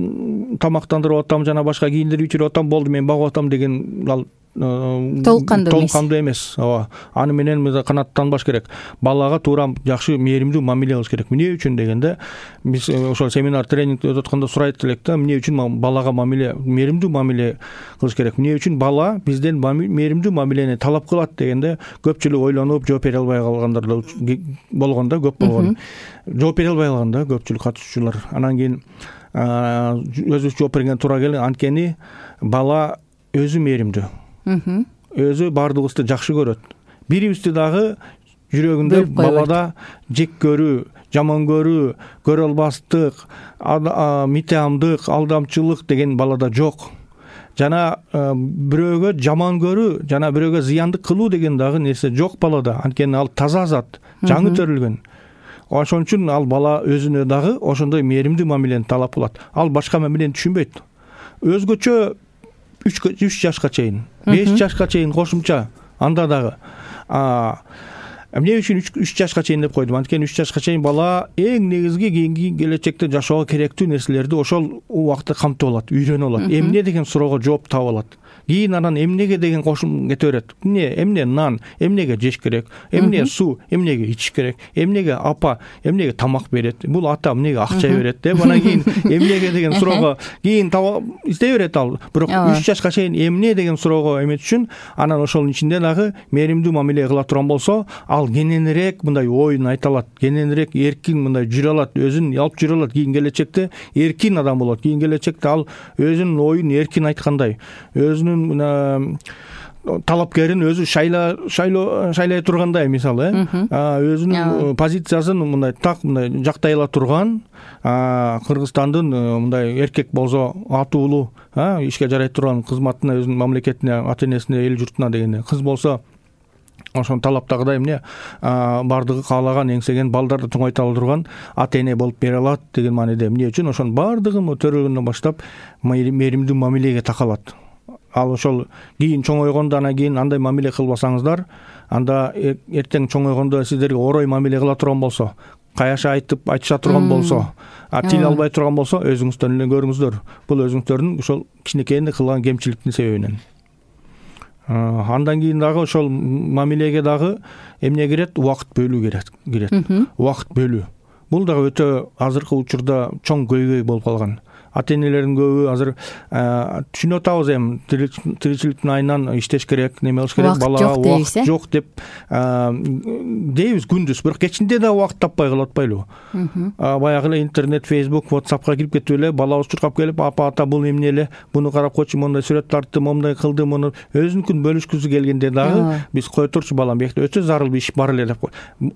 тамактандырып атам, жана башка кийиндирип ичирип атам, болду мен багып атам деген ал толук кандуу эмес. Ооба. Аны менен канааттанбаш керек. Балага туура жакшы мээримдүү мамиле кылыш керек. Эмне үчүн дегенде, биз ошол семинар тренинг өтүп атканда сурайт элек да, эмне үчүн балага мамиле, мээримдүү мамиле кылыш керек? Эмне үчүн бала бизден мээримдүү мамилени талап кылат дегенде, көпчүлүк ойлонуп жооп бере албай калгандар да болгон да, көп болгон. Жооп бере албай калган да көпчүлүк катышуучулар. Анан кийин өзүбүз жооп берген туура келген. Анткени бала өзү мээримдүү. Өзү баардыгыбызды жакшы көрөт. Бирибизди дагы жүрөгүндө балада жек көрүү, жаман көрүү, көрө албастык, митеамдык, алдамчылык деген балада жок. Жана бирөөгө жаман көрүү, жана бирөөгө зыяндык кылуу деген дагы нерсе жок балада. Анткени ал таза зат, жаңы төрүлгөн. Ошон үчүн ал бала өзүнө дагы ошондой мээримдүү мамилени талап кылат. Ал башка мамилени түшүнбөйт. Өзгөчө үч жашка чейин, беш жашка чейин кошумча анда дагы. Эмне үчүн үч жашка чейин деп койдум? Анткени үч жашка чейин бала эң негизги кийинки келечекте жашоого керектүү нерселерди ошол убакытта камтып алат, үйрөнүп алат. Эмне деген суроого жооп таап алат. Кийин анан эмнеге деген кошум кете берет. Эмне, эмне нан, эмнеге жеш керек, эмне суу, эмнеге ичиш керек, эмнеге апа, эмнеге тамак берет, бул ата эмнеге акча берет деп анан кийин эмнеге деген суроого кийин издей берет ал. Бирок үч жашка чейин эмне деген суроого эмет үчүн анан ошонун ичинде дагы мээримдүү мамиле кыла турган болсо, ал кененирээк мындай оюн айта алат, кененирээк эркин мындай жүрө алат, өзүн алып жүрө алат. Кийин келечекте эркин адам болот. Кийин келечекте ал өзүнүн оюн эркин айткандай, өзүнүн талапкерин өзү шайла шайлоо шайлай тургандай, мисалы, өзүнүн позициясын мындай так мындай жактай ала турган, Кыргызстандын мындай эркек болсо атуулуу, ишке жарай турган, кызматына, өзүнүн мамлекетине, ата энесине, эл журтуна дегенде, кыз болсо ошон талаптагыдай эмне бардыгы каалаган, эңсеген балдарды чоңойто ала турган ата эне болуп бере алат деген мааниде. Эмне үчүн ошонун бардыгын төрөлгөндөн баштап мээримдүү мамилеге такалат. Ал ошол кийин чоңойгондо анан кийин андай мамиле кылбасаңыздар, анда эртең чоңойгондо сиздерге орой мамиле кыла турган болсо, каяша айтып айтыша турган болсо, тил албай турган болсо, өзүңүздөр эле көрүңүздөр. Бул өзүңүздөрдүн ошол кичинекейинде кылган кемчиликтин себебинен. Андан кийин дагы ошол мамилеге дагы эмне кирет? Убакыт бөлүү кирет. Убакыт бөлүү. Бул дагы өтө азыркы учурда чоң көйгөй болуп калган. ата энелердин көбү азыр түшүнүп атабыз эми тиричиликтин айынан иштеш керек, неме кылыш керек, балага убакыт жок деп дейбиз күндүз, бирок кечинде да убакыт таппай калып атпайлыбы? Баягы эле интернет, Facebook, WhatsAppка кирип кетип эле балабыз чуркап келип, апа ата бул эмне эле, буну карап койчу, мондай сүрөт тарттым, момундай кылдым, муну өзүнүкүн бөлүшкүсү келгенде дагы биз кое турчу балам, бияк өтө зарыл бир иш бар эле деп.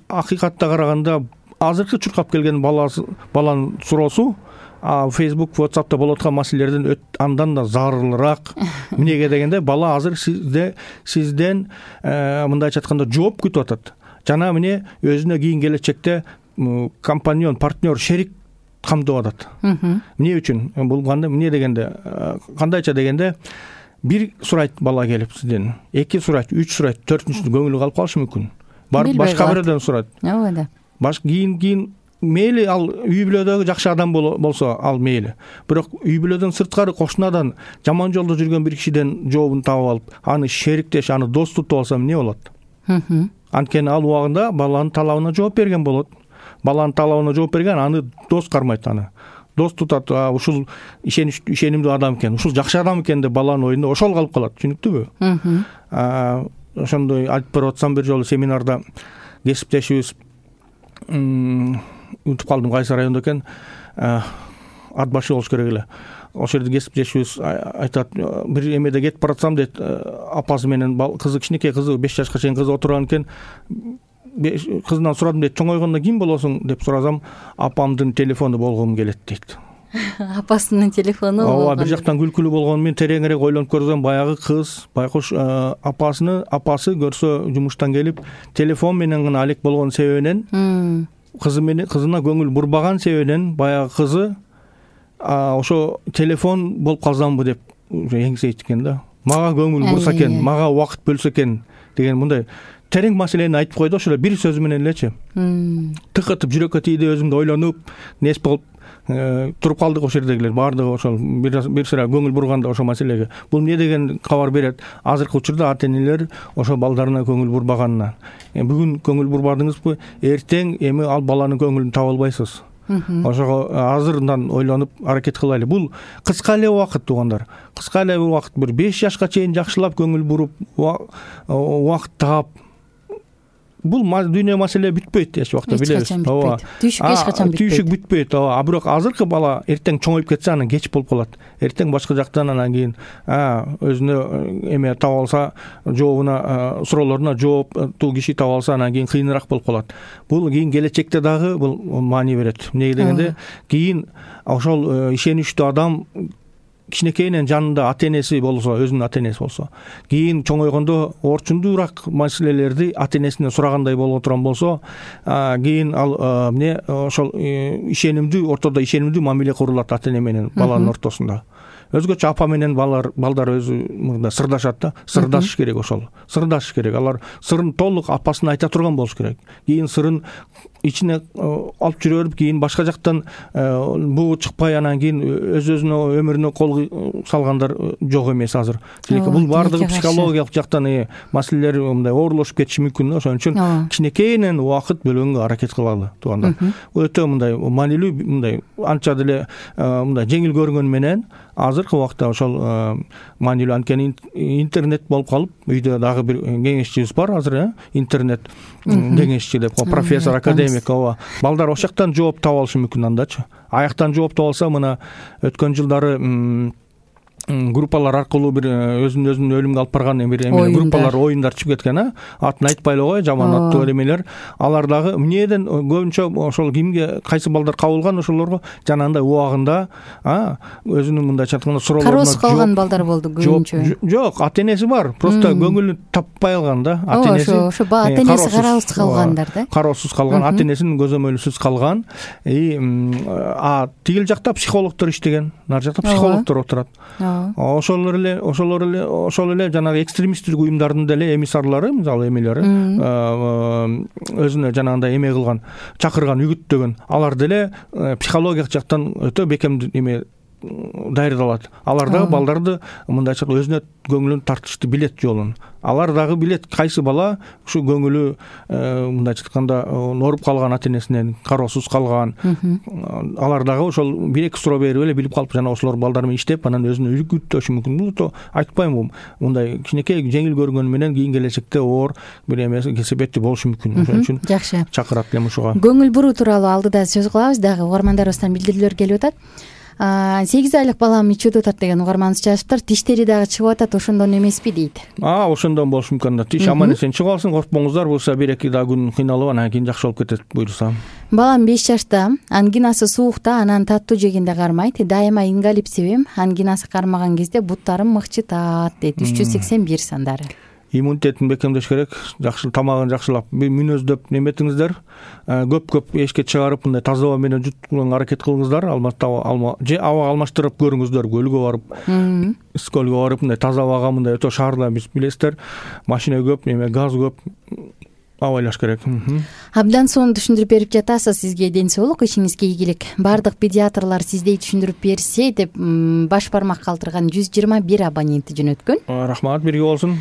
Акыйкатта караганда азыркы чуркап келген баласы баланын суроосу Facebook, WhatsApp'та болуп аткан маселелерден андан да зарылыраак. Эмнеге дегенде бала азыр сизде сизден мындайча айтканда жооп күтүп атат. Жана эмне өзүнө кийин келечекте компаньон, партнер, шерик камдап атат. Эмне үчүн? Бул кандай эмне дегенде, кандайча дегенде бир сурайт бала келип сизден, эки сурайт, үч сурайт, төртүнчүсү көңүлү калып калышы мүмкүн. Барып башка бирөөдөн сурайт. Ооба да. Баш кийин кийин мейли ал үй бүлөдөгү жакшы адам болсо ал мейли. Бирок үй бүлөдөн сырткары кошунадан жаман жолдо жүргөн бир кишиден жообун таап алып, аны шериктеш, аны дос тутуп алсам эмне болот? Анткени ал убагында баланын талабына жооп берген болот. Баланын талабына жооп берген, аны дос кармайт, аны дос тутат. Ушул ишенич ишенимдүү адам экен, ушул жакшы адам экен деп баланын оюнда ошол калып калат, түшүнүктүүбү? Ошондой айтып барып атсам, бир жолу семинарда кесиптешибиз, унутуп калдым кайсы райондо экен, ат башы болуш керек эле. Ошол жерде кесиптешибиз айтат, бир эмеде кетип баратсам дейт, апасы менен кызы, кичинекей кызы, беш жашка чейин кызы отурган экен. Кызынан сурадым дейт, чоңойгондо ким болосуң деп сурасам, апамдын телефону болгум келет дейт. Апасынын телефону. Ооба, бир жактан күлкүлүү болгону менен тереңирээк ойлонуп көрсөм, баягы кыз байкуш апасыны апасы көрсө жумуштан келип телефон менен гана алек болгон себебинен, кызы менен кызына көңүл бурбаган себебинен баягы кызы ошо телефон болуп калсамбы деп эңсейт экен да. Мага көңүл бурса экен, мага убакыт бөлсө экен деген мындай терең маселени айтып койду ошол бир сөзү менен элечи. Тыкытып жүрөккө тийди, өзүмдү ойлонуп, нес болуп туруп калдык ошол жердегилер. Баардыгы ошол бир сыра көңүл бурганда ошол маселеге. Бул эмне деген кабар берет? Азыркы учурда ата энелер ошо балдарына көңүл бурбаганына. Бүгүн көңүл бурбадыңызбы, эртең эми ал баланын көңүлүн таба албайсыз. Ошого азырдан ойлонуп аракет кылайлы. Бул кыска эле убакыт, туугандар. Кыска эле убакыт, бир беш жашка чейин жакшылап көңүл буруп, убакыт таап, бул дүйнө маселе бүтпөйт эч убакта, билебиз. Ооба. Түйшүк эч качан бүтпөйт. Түйшүк бүтпөйт. Ооба. А бирок азыркы бала эртең чоңоюп кетсе, анан кеч болуп калат. Эртең башка жактан анан кийин өзүнө эме таба алса, жообуна, суроолоруна жооптуу киши таба алса, анан кийин кыйыныраак болуп калат. Бул кийин келечекте дагы бул маани берет. Эмнеге дегенде, кийин ошол ишеничтүү адам кичинекейинен жанында ата энеси болсо, өзүнүн ата энеси болсо, кийин чоңойгондо орчундуураак маселелерди ата энесинен сурагандай боло турган болсо, кийин ал эмне ошол ишенимдүү, ортодо ишенимдүү мамиле курулат ата эне менен баланын ортосунда. Өзгөчө апа менен балдар балдар өзү мында сырдашат да, сырдашыш керек ошол. Сырдашыш керек. Алар сырын толук апасына айта турган болуш керек. Кийин сырын ичине алып жүрө берип, кийин башка жактан буу чыкпай, анан кийин өз-өзүнө өмүрүнө кол салгандар жок эмес азыр. Бул баардыгы психологиялык жактан маселелер мындай оорлошуп кетиши мүмкүн. Ошон үчүн кичинекейинен убакыт бөлгөнгө аракет кылалы, туугандар. Өтө мындай маанилүү, мындай анча деле мындай жеңил көрүнгөнү менен азыркы убакта ошол маанилүү, анткени интернет болуп калып, үйдө дагы бир кеңешчибиз бар азыр, интернет кеңешчи деп, профессор, академик. Ооба. Балдар ошол жактан жооп таба алышы мүмкүн андачы. Аяктан жооп таба алса, мына өткөн жылдары группалар аркылуу бир өзүнүн өзүн өлүмгө алып барган бир эме группалар, оюндар чыгып кеткен, а атын айтпай эле кой, жаман аттуу эмелер. Алар дагы эмнеден көбүнчө ошол кимге кайсы балдар кабылган, ошолорго жанагындай убагында өзүнүн мындайча айтканда суроолоруна кароосуз калган балдар болду көбүнчө. Жок, ата энеси бар, просто көңүлүн таппай алган да. Ата энеси ошо ата энеси кароосуз калгандар да. Кароосуз калган, ата энесинин көзөмөлүсүз калган. А тигил жакта психологдор иштеген, нар жакта психологдор отурат. Ошолор эле, ошолор эле, ошол эле жанагы экстремисттик уюмдардын деле эмиссарлары, мисалы эмелери, өзүнө жанагындай эме кылган, чакырган, үгүттөгөн, алар деле психологиялык жактан өтө бекем эме даярдалат. Алар дагы балдарды мындай айтканда өзүнө көңүлүн тартышты билет жолун. Алар дагы билет кайсы бала ушу көңүлү мындай айтканда ооруп калган, ата энесинен кароосуз калган. Алар дагы ошол бир эки суроо берип эле билип калып, жана ошолор балдар менен иштеп, анан өзүнө үлгү мүмкүн. Бул айтпайм, мындай кичинекей жеңил көргөнү менен кийин келечекте оор бир эме кесепети болушу мүмкүн. Ошон үчүн жакшы. Чакырат элем ушуга. Көңүл буруу тууралуу алдыда сөз кылабыз, дагы угармандарыбыздан билдирүүлөр келип атат. сегиз айлык балам ичүүдө атат деген угарманыбыз жазыптыр. Тиштери дагы чыгып атат, ошондон эмеспи дейт. А, ошондон болушу мүмкүн. Тиш аман эсен чыгып алсын, коркпоңуздар. Буюрса бир эки дагы күн кыйналып, анан кийин жакшы болуп кетет, буюрса. Балам беш жашта, ангинасы суукта, анан таттуу жегенде кармайт. Дайыма ингалип себем, ангинасы кармаган кезде буттарым мыкчытат дейт. үч жүз сексен бир сандары. Иммунитетин бекемдеш керек, жакшы тамагын жакшылап мүнөздөп неметиңиздер, көп-көп эшикке чыгарып, мындай таза аба менен жуткузганга аракет кылыңыздар, алма же аба алмаштырып көрүңүздөр, көлгө барып, скөлгө барып, мындай таза абага, мындай өтө шаарда биз билесиздер, машина көп, неме газ көп, абайлаш керек. Абдан сонун түшүндүрүп берип жатасыз. Сизге ден соолук, ишиңизге ийгилик. Бардык педиатрлар сиздей түшүндүрүп берсе деп баш бармак калтырган жүз жыйырма бир абоненти жөнөткөн. Рахмат, бирге болсун.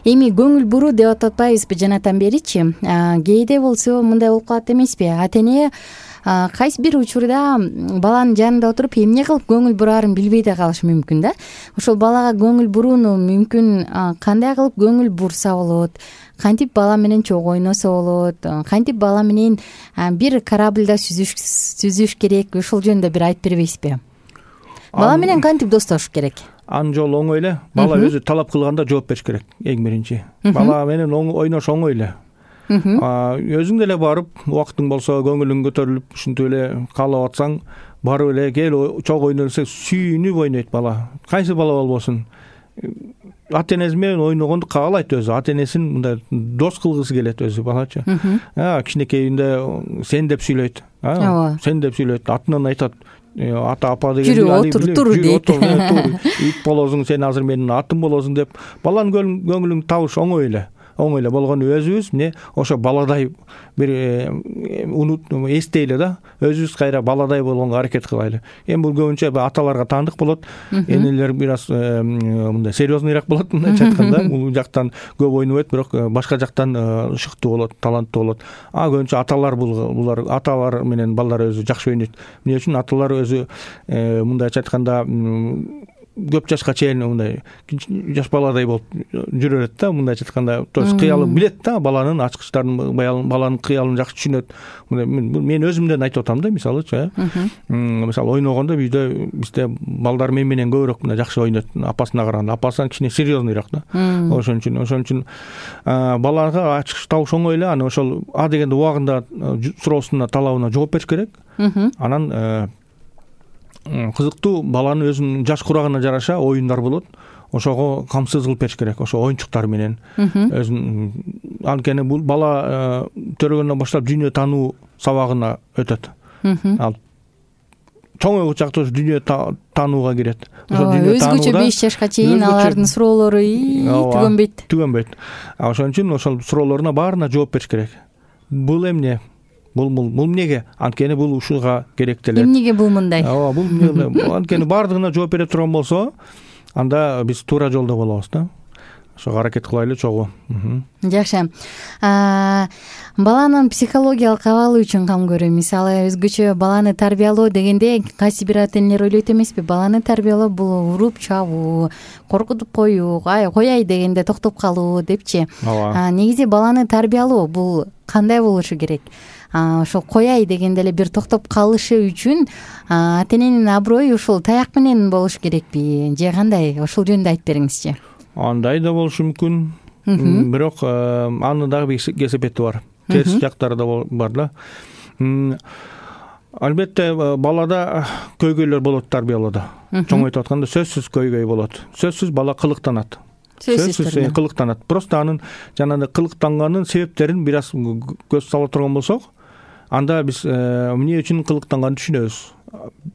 Эми көңүл буруу деп атпайбызбы жанатан беричи? Кээде болсо мындай болуп калат эмеспи? Ата эне кайсы бир учурда баланын жанында отуруп эмне кылып көңүл бураарын билбей да калышы мүмкүн да. Ошол балага көңүл бурууну мүмкүн кандай кылып көңүл бурса болот, кантип бала менен чогуу ойносо болот, кантип бала менен бир корабльда сүзүш сүзүш керек, ошол жөнүндө бир айтып бербейсизби? Бала менен кантип достошуш керек? Анын жолу оңой эле. Бала өзү талап кылганда жооп бериш керек, эң биринчи. Бала менен ойнош оңой эле. Өзүң деле барып, убактың болсо, көңүлүң көтөрүлүп, ушинтип эле каалап атсаң, барып эле кел чогуу ойно десең, сүйүнүп ойнойт бала. Кайсы бала болбосун. Ата энеси менен ойногонду каалайт өзү. Ата энесин мындай дос кылгысы келет өзү балачы. Кичинекейинде сен деп сүйлөйт. Сен деп сүйлөйт. Атынан айтат. Ата апа деген жүрүп отур тур дейт. Ит болосуң, сен азыр менин атым болосуң деп. Баланын көңүлүн табыш оңой эле. Оңой эле болгону өзүбүз эмне ошо баладай бир унут эстейле да, өзүбүз кайра баладай болгонго аракет кылайлы. Эми бул көбүнчө аталарга таандык болот, энелер бир аз мындай серьезныйраак болот, мындайча айтканда, бул жактан көп ойнобойт, бирок башка жактан ышыктуу болот, таланттуу болот. А көбүнчө аталар булар аталар менен балдар өзү жакшы ойнойт. Эмне үчүн аталар өзү мындайча айтканда көп жашка чейин мындай жаш баладай болуп жүрө берет да, мындайча айтканда, то есть кыялын билет да, баланын ачкычтарын, баланын кыялын жакшы түшүнөт. Мен өзүмдөн айтып атам да, мисалычы, мисалы ойногондо бизде бизде балдар мен менен көбүрөөк мындай жакшы ойнойт апасына караганда. Апасынан кичине серьезныйраак да. Ошон үчүн, ошон үчүн балага ачкыч табыш оңой эле, аны ошол а дегенде убагында суроосуна, талабына жооп бериш керек. Анан кызыктуу баланын өзүнүн жаш курагына жараша оюндар болот. Ошого камсыз кылып бериш керек, ошо оюнчуктар менен. Өзүн анткени бул бала төрөгөндөн баштап дүйнө таануу сабагына өтөт. Ал чоң чакта дүйнө таанууга кирет. Өзгөчө беш жашка чейин алардын суроолору түгөнбөйт. Түгөнбөйт. Ошон үчүн ошол суроолоруна баарына жооп бериш керек. Бул эмне? Бул бул бул эмнеге? Анткени бул ушуга керектелет. Эмнеге бул мындай? Ооба, бул эмне? Анткени баардыгына жооп бере турган болсо, анда биз туура жолдо болобуз да. Ошого аракет кылайлы чогуу. Жакшы. Баланын психологиялык абалы үчүн кам көрөм. Мисалы, өзгөчө баланы тарбиялоо дегенде кайсы бир ата энелер ойлойт эмеспи? Баланы тарбиялоо бул уруп чабуу, коркутуп коюу, ай кояй дегенде токтоп калуу депчи. Негизи баланы тарбиялоо бул кандай болушу керек? Ошол кояй дегенде эле бир токтоп калышы үчүн ата эненин аброю ушул таяк менен болуш керекпи же кандай? Ошол жөнүндө айтып бериңизчи. Андай да болушу мүмкүн. Бирок анын дагы бир кесепети бар. Терс жактары да бар да. Албетте балада көйгөйлөр болот тарбиялоодо. Чоңойтуп атканда сөзсүз көйгөй болот. Сөзсүз бала кылыктанат. Сөзсүз кылыктанат. Просто анын жанагы кылыктанганын себептерин бир аз көз сала турган болсок, анда биз эмне үчүн кылыктанганын түшүнөбүз.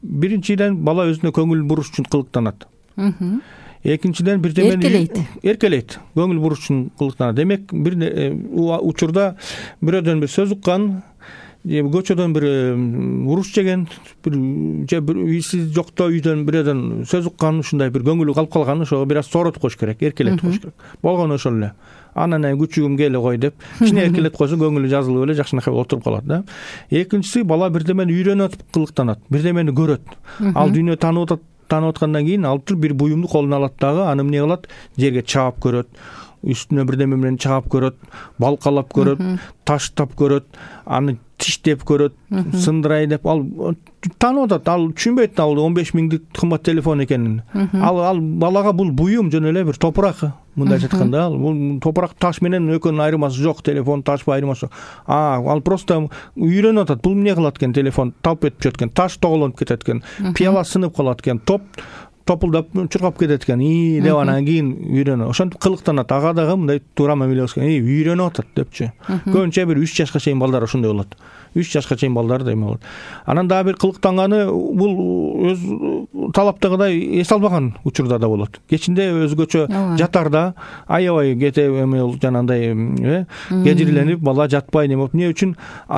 Биринчиден бала өзүнө көңүл буруш үчүн кылыктанат. Экинчиден бирдемени эркелейт. Эркелейт. Көңүл буруш үчүн кылыктанат. Демек, бир учурда бирөөдөн бир сөз уккан, же көчөдөн бир уруш жеген бир же бир үйсүз жокто үйдөн бирөөдөн сөз уккан ушундай бир көңүлү калып калган ошого бир аз сооротуп коюш керек, эркелетип коюш керек. Болгону ошол эле. Анан күчүгүм келе кой деп кичине эркелетип койсо көңүлү жазылып эле жакшынакай отуруп калат да. Экинчиси, бала бирдемени үйрөнүп кылыктанат, бирдемени көрөт. Ал дүйнө таанып атат, таанып аткандан кийин алып туруп бир буюмду колуна алат дагы, аны эмне кылат? Жерге чаап көрөт. Үстүнө бирдеме менен чаап көрөт, балкалап көрөт, таштап көрөт, аны тиштеп көрөт, сындырай деп. Ал таанып атат, ал түшүнбөйт ал он беш миңдик кымбат телефон экенин. Ал ал балага бул буюм, жөн эле бир топурак. Мындай айтканда, ал бул топурак таш менен экөөнүн айырмасы жок, телефон таш айырмасы. А, ал просто үйрөнүп атат. Бул эмне кылат экен? Телефон талп этип жүрөт экен, таш тоголонуп кетет экен, пияла сынып калат экен, топ топулдап чуркап кетет экен. И деп анан кийин үйрөнөт. Ошентип кылыктанат. Ага дагы мындай туура мамиле кылыш керек. Үйрөнүп атат депчи. Көбүнчө бир үч жашка чейин балдар ошондой болот. үч жашка чейин балдар да эме болот. Анан дагы бир кылыктанганы бул өз талаптагыдай эс албаган учурда да болот. Кечинде өзгөчө жатарда аябай кете эме жанагындай э кежирленип бала жатпай неме болуп, эмне үчүн?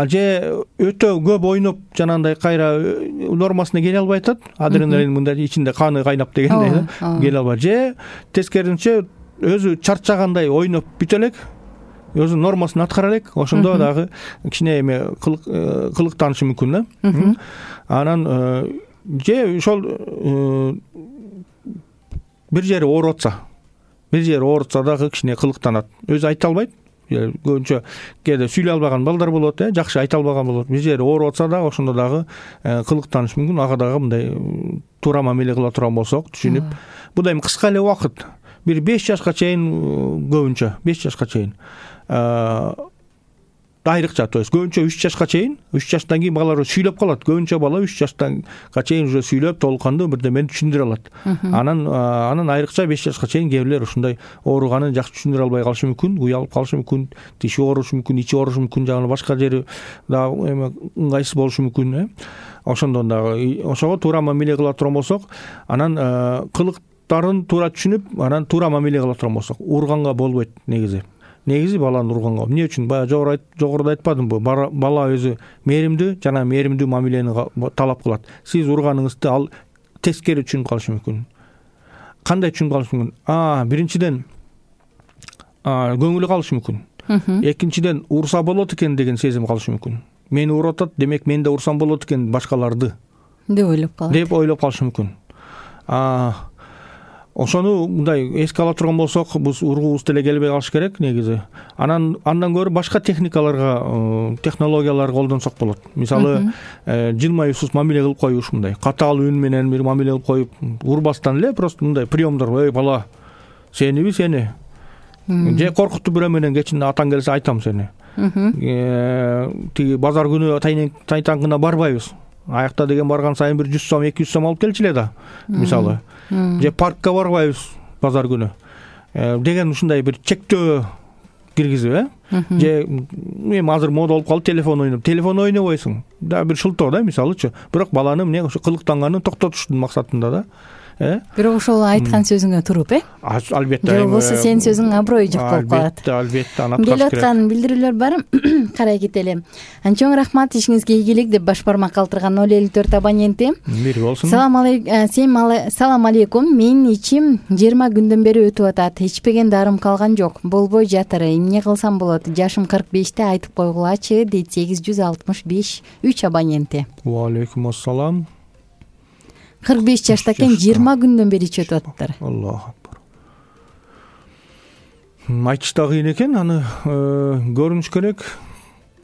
Же өтө көп ойноп жанагындай кайра нормасына келе албай атат. Адреналин мындай ичинде каны кайнап дегендей келе албай. Же тескерисинче өзү чарчагандай ойноп бүтө элек, өзү нормасын аткара элек, ошондо дагы кичине эме кылыктанышы мүмкүн да. Анан же ошол бир жери ооруп атса, бир жери ооруп атса дагы кичине кылыктанат. Өзү айта албайт. Көбүнчө кээде сүйлөй албаган балдар болот, э, жакшы айта албаган болот. Бир жери ооруп атса дагы ошондо дагы кылыктаныш мүмкүн. Ага дагы мындай туура мамиле кыла турган болсок, түшүнүп, бул эми кыска эле убакыт, бир беш жашка чейин көбүнчө, беш жашка чейин айрыкча, то есть көбүнчө үч жашка чейин, үч жаштан кийин балалар сүйлөп калат. Көбүнчө бала үч жаштанга чейин уже сүйлөп, толук кандуу бирдемени түшүндүрө алат. Анан анан айрыкча беш жашка чейин кээ бирлер ушундай ооруганын жакшы түшүндүрө албай калышы мүмкүн, уялып калышы мүмкүн, тиши оорушу мүмкүн, ичи оорушу мүмкүн, жана башка жери дагы эме ыңгайсыз болушу мүмкүн, э. Ошондон дагы ошого туура мамиле кыла турган болсок, анан кылыктарын туура түшүнүп, анан туура мамиле кыла турган болсок, урганга болбойт негизи. Негизи баланы урганга. Эмне үчүн? Бая жогоруда айтпадымбы? Бала өзү мээримдүү жана мээримдүү мамилени талап кылат. Сиз урганыңызды ал тескери түшүнүп калышы мүмкүн. Кандай түшүнүп калышы мүмкүн? А, биринчиден көңүлү калышы мүмкүн. Экинчиден урса болот экен деген сезим калышы мүмкүн. Мени уруп атат, демек мен да урсам болот экен башкаларды деп ойлоп калат. Деп ойлоп калышы мүмкүн. А, ошону мындай эске ала турган болсок, биз ургубуз деле келбей калыш керек негизи. Анан андан көрө башка техникаларга, технологияларга колдонсок болот. Мисалы, жылмаюусуз мамиле кылып коюш, мындай катаал үн менен бир мамиле кылып коюп, урбастан эле просто мындай приемдор, эй бала, сениби сени. Же коркутуп бирөө менен кечинде атаң келсе айтам сени. Тиги базар күнү тайтаңгына барбайбыз. Аякта деген барган сайын бир жүз сом, эки жүз сом алып келчиле да, мисалы. Же паркка барбайбыз базар күнү деген ушундай бир чектөө киргизип, э? Же эми азыр мода болуп калды телефон ойноп. Телефон ойнобойсуң. Да бир шылтоо да, мисалычы. Бирок баланы эмне ушу кылыктанганын токтотуштун максатында да. Э? Бирок ошол айткан сөзүңө туруп, э? Албетте. Же болбосо сенин сөзүң аброй жок болуп калат. Албетте, албетте, аны аткарыш керек. Келип аткан билдирүүлөр бар. Карай кетели. Чоң рахмат, ишиңизге ийгилик деп баш бармак калтырган ноль элүү төрт абоненти. Мир болсун. Салам алейкум. Салам алейкум. Менин ичим жыйырма күндөн бери өтүп атат. Ичпеген дарым калган жок. Болбой жатыр. Эмне кылсам болот? Жашым кырк беште, айтып койгулачы, дейт сегиз жүз алтымыш беш үч абоненти. Ва алейкум ассалам. кырк беш жашта экен, жыйырма күндөн бери ичип атыптыр. Аллаху акбар. Айтыш да кыйын экен, аны көрүнүш керек.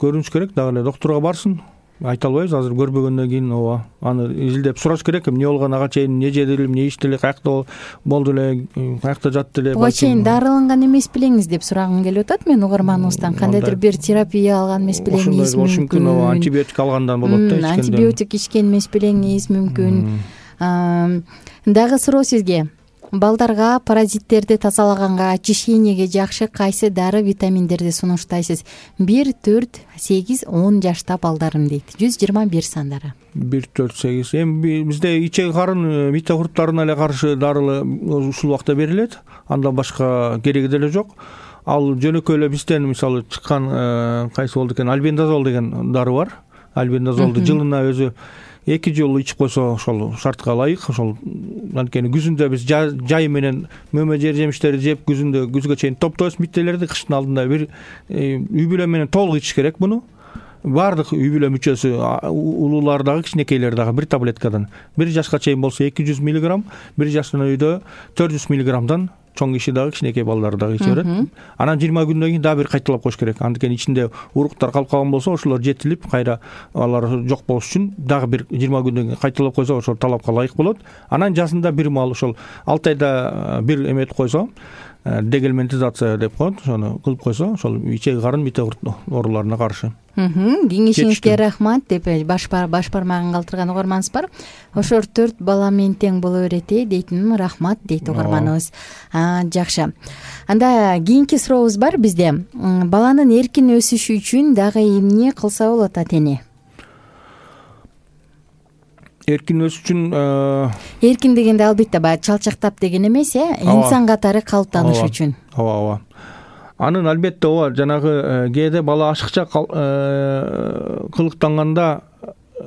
Көрүнүш керек, дагы эле доктурга барсын. Айта албайбыз азыр көрбөгөндөн кийин, ооба. Аны изилдеп сураш керек, эмне болгон, ага чейин эмне жеди эле, эмне ичти эле, каякта болду эле, каякта жатты эле. Ага чейин дарыланган эмес белеңиз деп сурагым келип атат мен угарманыбыздан. Кандайдыр бир терапия алган эмес белеңиз мүмкүн. Ооба, антибиотик алгандан болот да, ичкенде. Антибиотик ичкен эмес белеңиз мүмкүн. Дагы суроо сизге. Балдарга паразиттерди тазалаганга, очищениеге жакшы кайсы дары витаминдерди сунуштайсыз? бир, төрт, сегиз, он жашта балдарым дейт. жүз жыйырма бир сандары. бир, төрт, сегиз. Эми бизде ичек карын микрокурттарына эле каршы дарылы ушул убакта берилет. Андан башка кереги деле жок. Ал жөнөкөй эле бизден мисалы чыккан кайсы болду экен, альбендазол деген дары бар. альбендазолду жылына өзү эки жолу ичип койсо ошол шартка ылайык. Ошол анткени күзүндө биз жай менен мөмө жер жемиштерди жеп, күзүндө күзгө чейин топтойбуз миттелерди, кыштын алдында бир үй бүлө менен толук ичиш керек муну. Баардык үй бүлө мүчөсү, улуулар дагы, кичинекейлер дагы бир таблеткадан. Бир жашка чейин болсо эки жүз миллиграмм, бир жаштын үйдө төрт жүз миллиграммдан, чоң киши дагы, кичинекей балдар дагы иче берет. Анан жыйырма күндөн кийин дагы бир кайталап коюш керек. Анткени ичинде уруктар калып калган болсо, ошолор жетилип, кайра алар жок болуш үчүн дагы бир жыйырма күндөн кийин кайталап койсо, ошол талапка ылайык болот. Анан жазында бир маал ошол алты айда бир эметип койсо, дегельминтизация деп коет, ошону кылып койсо, ошол ичеги карын мите ооруларына каршы. Кеңешиңизге рахмат деп баш баш бармагын калтырган угарманыбыз бар. Ошол төрт бала менен тең боло берет э дейтин, рахмат дейт угарманыбыз. Жакшы. Анда кийинки сурообуз бар бизде. Баланын эркин өсүшү үчүн дагы эмне кылса болот ата-эне? Эркин өсүш үчүн эркин дегенде албетте баягы чалчактап деген эмес, э, инсан катары калыптаныш үчүн. Ооба, ооба. Анын албетте ооба, жанагы кээде бала ашыкча кылыктанганда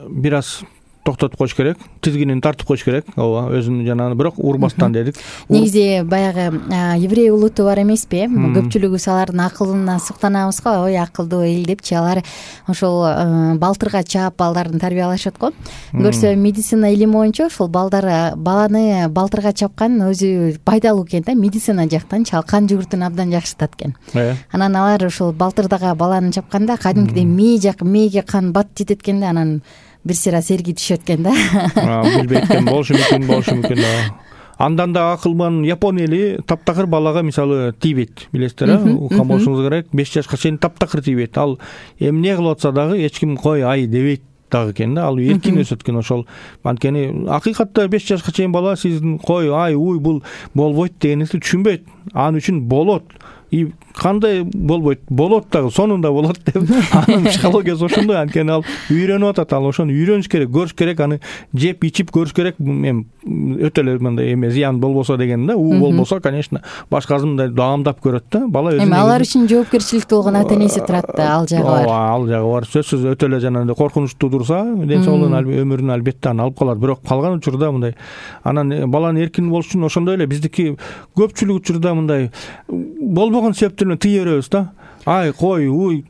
бир аз токтотуп коюш керек, тизгинин тартып коюш керек. Ооба, өзүн жанагы бирок урбастан дедик. Негизи баягы еврей улуту бар эмеспи? Көпчүлүгүбүз алардын акылына суктанабыз го, ой акылдуу эл депчи. Алар ошол балтырга чаап балдарын тарбиялашат го. Көрсө медицина илими боюнча ошол балдар баланы балтырга чапкан өзү пайдалуу экен да, медицина жактан кан жүгүртүн абдан жакшыртат экен. Анан алар ошол балтырдага баланы чапканда кадимкидей мээ жак мээге кан бат жетет экен да, анан бир сыйра серги түшөт экен да. Билбейт экен, болушу мүмкүн, болушу мүмкүн. Андан да акылман Япон эли таптакыр балага мисалы тийбейт, билесиздер, э? Уккан болушуңуз керек. беш жашка чейин таптакыр тийбейт. Ал эмне кылып атса дагы эч ким кой ай дебейт дагы экен да. Ал эркин өсөт экен. Ошол анткени акыйкатта беш жашка чейин бала сиздин кой ай уй бул болбойт дегениңизди түшүнбөйт. Анын үчүн болот. И кандай болбойт, болот дагы, сонунда болот деп анын психологиясы ошондой. Анткени ал үйрөнүп атат, ал ошону үйрөнүш керек, көрүш керек, аны жеп ичип көрүш керек. Эми өтө эле мындай эме зыян болбосо деген да, у болбосо, конечно, башкасы мындай даамдап көрөт да. Бала өзү эми алар үчүн жоопкерчиликти болгон ата-энеси турат да, ал жагы бар. Ооба, ал жагы бар. Сөзсүз өтө эле жанагындай коркунучтуу турса, ден соолугун, өмүрүн албетте аны алып калат. Бирок калган учурда мындай анан баланын эркин болуш үчүн ошондой эле биздики көпчүлүк учурда мындай болбогон себептерден тыя беребиз да. Ай кой, уй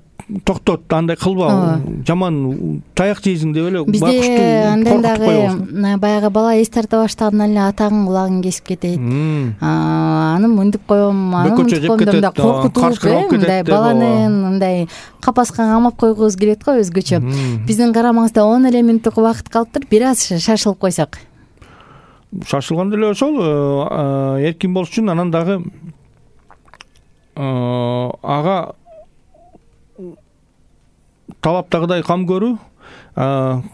токтот, андай кылба, жаман таяк жейсиң деп эле бакыштуу коркутуп дагы баягы бала эс тарта баштагандан эле атаңын кулагын кесип кетет. Аны мынтип коем, аны мынтип коем деп да коркутуп, мындай баланы мындай капаска камап койгубуз келет го өзгөчө. Биздин карамаңызда он эле мүнөттүк убакыт калыптыр, бир аз шашылып койсок. Шашылганда эле ошол эркин болуш үчүн анан дагы ага талаптагыдай кам көрүү,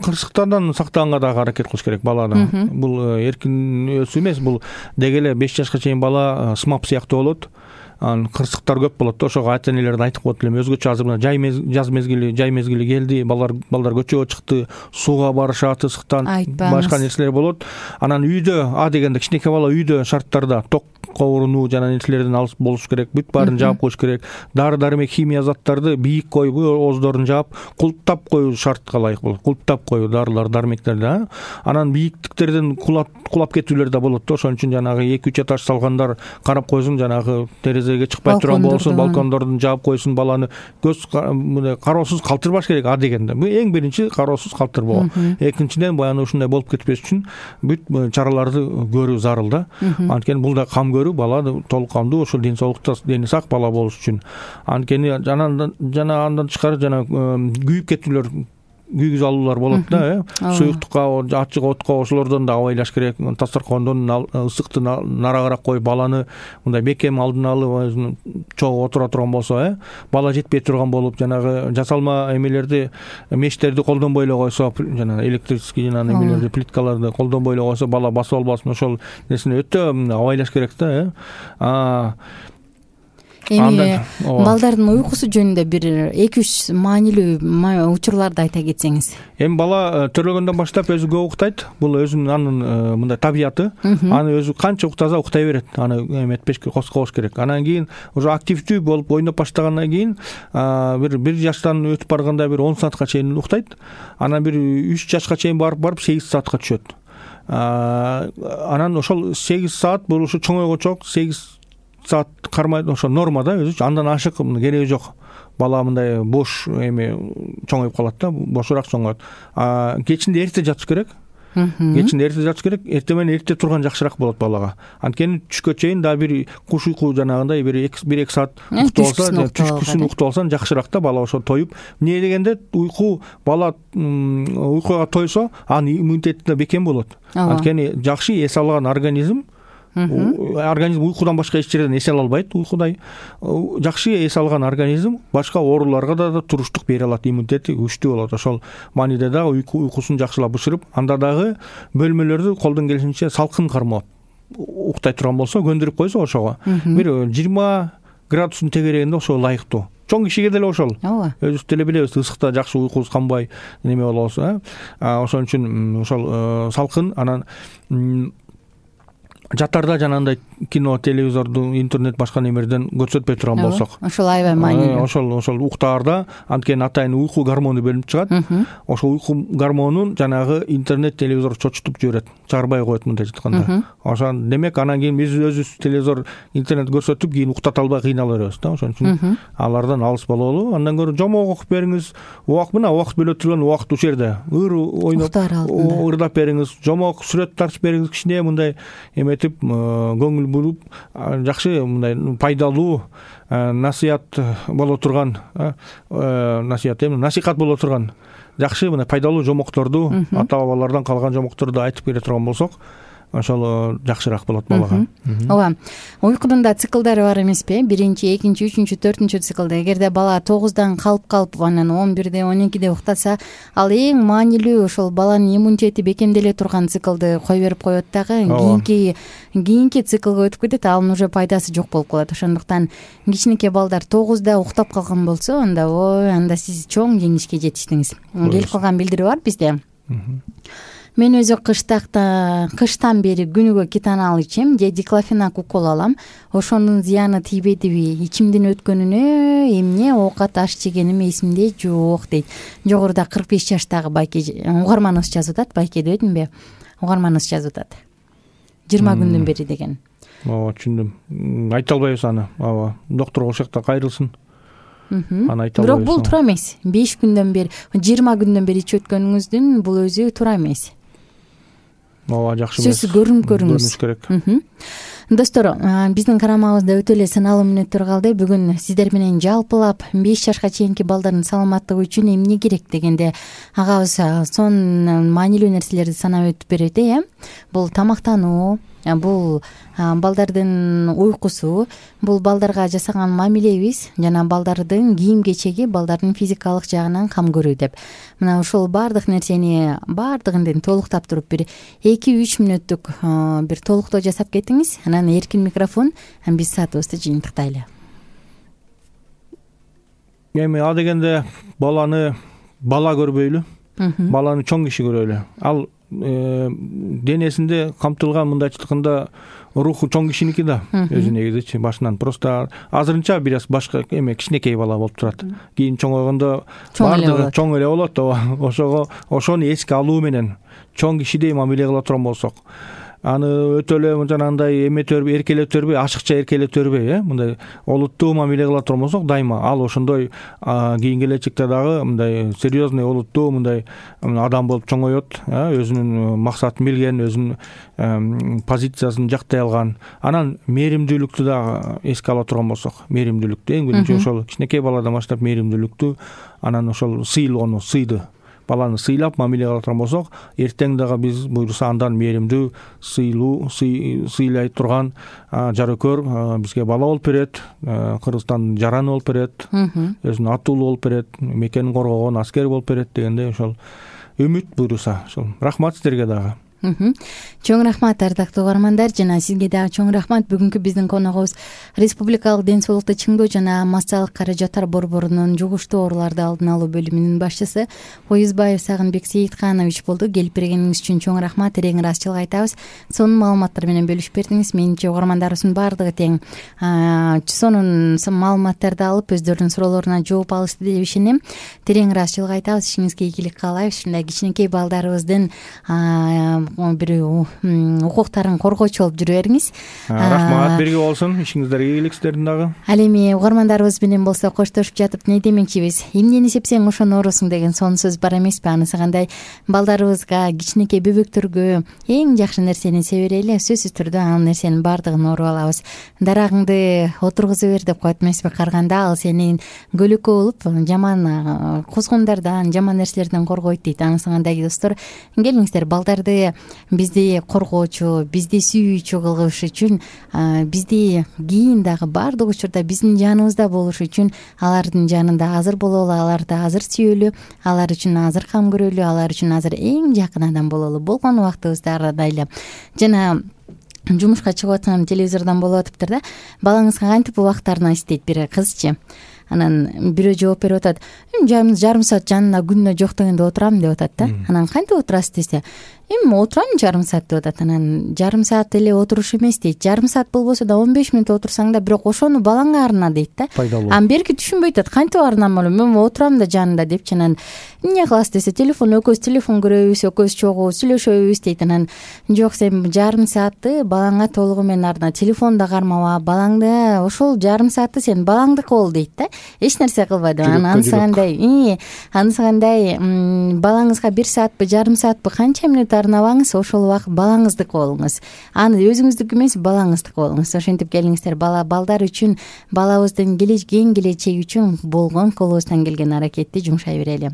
кырсыктардан сактаганга дагы аракет кылыш керек баланы. Бул эркин өсүү эмес, бул деги эле беш жашка чейин бала смап сыяктуу болот. Анан кырсыктар көп болот. Ошого ата-энелер айтып коет элем, өзгөчө азыр мына жай жаз мезгили, жай мезгили келди, балдар балдар көчөгө чыкты, сууга барышат, ысыктан башка нерселер болот. Анан үйдө, а дегенде кичинекей бала үйдө шарттарда ток коорунуу жана нерселерден алыс болуш керек, бүт баарын жаап коюш керек. Дары-дармек, химия заттарды бийик коюп, ооздорун жаап, кулптап коюу шартка ылайык болот. Кулптап коюу дарылар, дармектерди. Анан бийиктиктерден кулап кулап кетүүлөр да болот. Ошон үчүн жанагы эки үч этаж салгандар карап койсун, жанагы терезеге чыкпай турган болсун, балкондордун жаап койсун, баланы көз мындай кароосуз калтырбаш керек, а дегенде. Бул эң биринчи кароосуз калтырбоо. Экинчиден баягы ушундай болуп кетпеш үчүн бүт чараларды көрүү зарыл да. Анткени бул да кам көрүү, бала толук камдуу, ошол ден соолукта дени сак бала болуш үчүн. Анткени жана жана андан тышкары жана күйүп кетүүлөр, күйгүз алуулар болот да, э. Суюктукка, ачык отко ошолордон да абайлаш керек. Дасторкондон ысыкты нарагыраак коюп, баланы мындай бекем алдын алып чогуу отура турган болсо, э, бала жетпей турган болуп, жанагы жасалма эмелерди, мештерди колдонбой эле койсо, жана электрический жана эмелерди, плиткаларды колдонбой эле койсо, бала басып албасын. Ошол нерсени өтө абайлаш керек да, э. эми балдардын уйкусу жөнүндө бир эки үч маанилүү учурларды айта кетсеңиз. Эми бала төрөлгөндөн баштап өзү көп уктайт. Бул өзүнүн анын мындай табияты. Аны өзү канча уктаса уктай берет. Аны эметпешке козгобош керек. Анан кийин уже активдүү болуп ойноп баштагандан кийин бир бир жаштан өтүп барганда бир он саатка чейин уктайт. Анан бир үч жашка чейин барып барып сегиз саатка түшөт. Анан ошол сегиз саат бул ушу чоңойгочо сегиз саат кармайт, ошо норма да өзүчү. Андан ашык кереги жок. Бала мындай бош эми чоңоюп калат да, бошураак чоңоет. Кечинде эрте жатыш керек. Кечинде эрте жатыш керек. Эрте менен эрте турган жакшыраак болот балага. Анткени түшкө чейин дагы бир куш уйку жанагындай бир эки саат уктап алса, түшкүсүн уктап алсаң жакшыраак да, бала ошо тоюп. Эмне дегенде уйку бала уйкуга тойсо, анын иммунитети да бекем болот. Анткени жакшы эс алган организм организм уйкудан башка эч жерден эс ала албайт. Уйкудай жакшы эс алган организм башка ооруларга да туруштук бере алат, иммунитети күчтүү болот. Ошол мааниде дагы уйкусун жакшылап бышырып, анда дагы бөлмөлөрдү колдон келишинче салкын кармап уктай турган болсо, көндүрүп койсо ошого бир жыйырма градустун тегерегинде ошо ылайыктуу. Чоң кишиге деле ошол. Өзүбүз деле билебиз, ысыкта жакшы уйкубуз канбай неме болобуз. Ошон үчүн ошол салкын. Анан жатарда жанагындай кино, телевизорду, интернет башка немерден көрсөтпөй турган болсок, ошол аябай маанилүү. Ошол ошол уктаарда анткени атайын уйку гормону бөлүнүп чыгат. Ошол уйку гормонун жанагы интернет, телевизор чочутуп жиберет, чыгарбай коет мындай жатканда. Ошон демек анан кийин биз өзүбүз телевизор, интернет көрсөтүп кийин уктата албай кыйналып беребиз да. Ошон үчүн алардан алыс бололу. Андан көрө жомок окуп бериңиз. Убакыт мына убакыт бөлө турган убакыт ушул жерде. Ыр ойноп, ырдап бериңиз. Жомок сүрөт тартып бериңиз, кичине мындай эметип, көңүл буруп, жакшы мындай пайдалуу насыят боло турган, насыят эми насихат боло турган жакшы мындай пайдалуу жомокторду, ата бабалардан калган жомокторду айтып бере турган болсок, ошол жакшыраак болот балага. Ооба. Уйкунун да циклдары бар эмеспи? Биринчи, экинчи, үчүнчү, төртүнчү циклда. Эгерде бала тогуздан калып калып, анан он бирде, он экиде уктаса, ал эң маанилүү ошол баланын иммунитети бекемделе турган циклды кой берип коет дагы. Кийинки кийинки циклга өтүп кетет, анын уже пайдасы жок болуп калат. Ошондуктан кичинекей балдар тогузда уктап калган болсо, анда ой, анда сиз чоң жеңишке жетиштиңиз. Келип калган билдирүү бар бизде. Мен өзү кыштакта кыштан бери күнүгө кетанал ичем же диклофенак укол алам. Ошонун зыяны тийбедиби? Ичимдин өткөнүнө эмне оокат аш жегеним эсимде жок дейт. Жогоруда кырк беш жаштагы байке угарманыбыз жазып атат. Байке дебедимби? Угарманыбыз жазып атат. жыйырма күндөн бери деген. Ооба, түшүндүм. Айта албайбыз аны. Ооба. Доктор ошокто кайрылсын. Аны айта албайбыз. Бирок бул туура эмес. беш күндөн бери, жыйырма күндөн бери ичип өткөнүңүздүн бул өзү туура эмес. Ооба, жакшы эмес. Сиз көрүнүп көрүңүз. Көрүнүш керек. Достор, биздин карамабызда өтө эле саналуу мүнөттөр калды. Бүгүн сиздер менен жалпылап беш жашка чейинки балдардын саламаттыгы үчүн эмне керек дегенде агабыз сонун маанилүү нерселерди санап өтүп берет, э? Бул тамактануу, бул балдардын уйкусу, бул балдарга жасаган мамилебиз жана балдардын кийим кечеги, балдардын физикалык жагынан кам көрүү деп. Мына ушул баардык нерсени баардыгын толуктап туруп бир эки үч мүнөттүк бир толуктоо жасап кетиңиз. Анан эркин микрофон, биз саатыбызды жыйынтыктайлы. Эми а дегенде баланы бала көрбөйлү, баланы чоң киши көрөлү. Ал денесинде камтылган мындайчылыгында руху чоң кишиники да өзү негизичи башынан. Просто азырынча бир аз башка эме кичинекей бала болуп турат. Кийин чоңойгондо баардыгы чоң эле болот. Ошого ошону эске алуу менен чоң кишидей мамиле кыла турган болсок, аны өтө эле жанагындай эметө бербей, эркелете бербей, ашыкча эркелете бербей, э, мындай олуттуу мамиле кыла турган болсок, дайыма ал ошондой кийин келечекте дагы мындай серьезный, олуттуу мындай адам болуп чоңоет, өзүнүн максатын билген, өзүнүн позициясын жактай алган. Анан мээримдүүлүктү дагы эске ала турган болсок, мээримдүүлүктү эң биринчи ошол кичинекей баладан баштап мээримдүүлүктү, анан ошол сыйлоону, сыйды баланы сыйлап мамиле кыла турган болсок, эртең дагы биз буйруса андан мээримдүү, сыйлуу, сыйлай турган жарөкөр бизге бала болуп берет, Кыргызстандын жараны болуп берет, өзүнүн атуулу болуп берет, мекенин коргогон аскер болуп берет дегенде ошол үмүт буйруса. Ошол рахмат сиздерге дагы. чоң рахмат ардактуу угармандар, жана сизге дагы чоң рахмат. Бүгүнкү биздин коногубуз Республикалык ден соолукту чыңдоо жана массалык каражаттар борборунун жугуштуу ооруларды алдын алуу бөлүмүнүн башчысы Оюзбаев Сагынбек Сейитканович болду. Келип бергениңиз үчүн чоң рахмат, эрең ыраазычылык айтабыз. Сонун маалыматтар менен бөлүшүп бердиңиз. Менимче угармандарыбыздын баардыгы тең сонун маалыматтарды алып өздөрүнүн суроолоруна жооп алышты деп ишенем. Терең ыраазычылык айтабыз, ишиңизге ийгилик каалайбыз. Ушундай кичинекей балдарыбыздын бир укуктарын коргоочу болуп жүрө бериңиз. Рахмат, бирге болсун, ишиңиздерге ийгилик сиздердин дагы. Ал эми угармандарыбыз менен болсо коштошуп жатып не демекчибиз? Эмнени сепсең ошону оорусуң деген сонун сөз бар эмеспи? Анысы кандай? Балдарыбызга, кичинекей бөбөктөргө эң жакшы нерсени себе берели. Сөзсүз түрдө ал нерсенин баардыгын ооруп алабыз. Дарагыңды отургуза бер деп коет эмеспи? Карганда ал сени көлөкө болуп, жаман кузгундардан, жаман нерселерден коргойт дейт. Анысы кандай достор? Келиңиздер, балдарды бизди коргоочу, бизди сүйүүчү кылыш үчүн, бизди кийин дагы баардык учурда биздин жаныбызда болуш үчүн алардын жанында азыр бололу, аларды азыр сүйөлү, алар үчүн азыр кам көрөлү, алар үчүн азыр эң жакын адам бололу. Болгон убактыбызда ырдайлы. Жана жумушка чыгып аткан телевизордон болуп атыптыр да. Балаңызга кантип убактарына иштейт бир кызчы. Анан бирөө жооп берип атат. Жарым саат жанына күнүнө жок дегенде отурам деп атат да. Анан кантип отурасыз десе, эми отурам жарым саат деп атат. Анан жарым саат эле отуруш эмес дейт. Жарым саат болбосо да он беш мүнөт отурсаң да, бирок ошону балаңа арна дейт да. Анан берки түшүнбөй атат. Кантип арнам элем, мен отурам да жанында депчи. Анан эмне кыласыз десе, телефон экөөбүз телефон көрөбүз, экөөбүз чогуу сүйлөшөбүз дейт. Анан жок, сен жарым саатты балаңа толугу менен арна, телефон да кармаба, балаңды ошол жарым саатты сен балаңдыкы бол дейт да. Эч нерсе кылбайдыбы. Анан анысы кандай? Анысы кандай? Балаңызга бир саатпы, жарым саатпы, канча мүнөт арнабаңыз, ошол убакыт балаңыздыкы болуңуз. Аны өзүңүздүкү эмес, балаңыздыкы болуңуз. Ошентип келиңиздер, бала балдар үчүн, балабыздын кийин келечеги үчүн болгон колубуздан келген аракетти жумшай берели.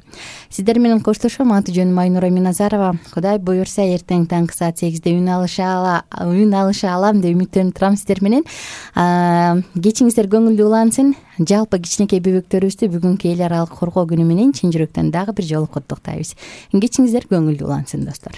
Сиздер менен коштошом. Аты жөнүм Айнура Миназарова. Кудай буюрса, эртең таңкы саат сегизде үн алыша үн алыша алам деп үмүттөнүп турам сиздер менен. Кечиңиздер көңүлдүү улансын. Жалпы кичинекей бөбөктөрүбүздү бүгүнкү эл аралык коргоо күнү менен чын жүрөктөн дагы бир жолу куттуктайбыз. Кечиңиздер көңүлдүү улансын достор.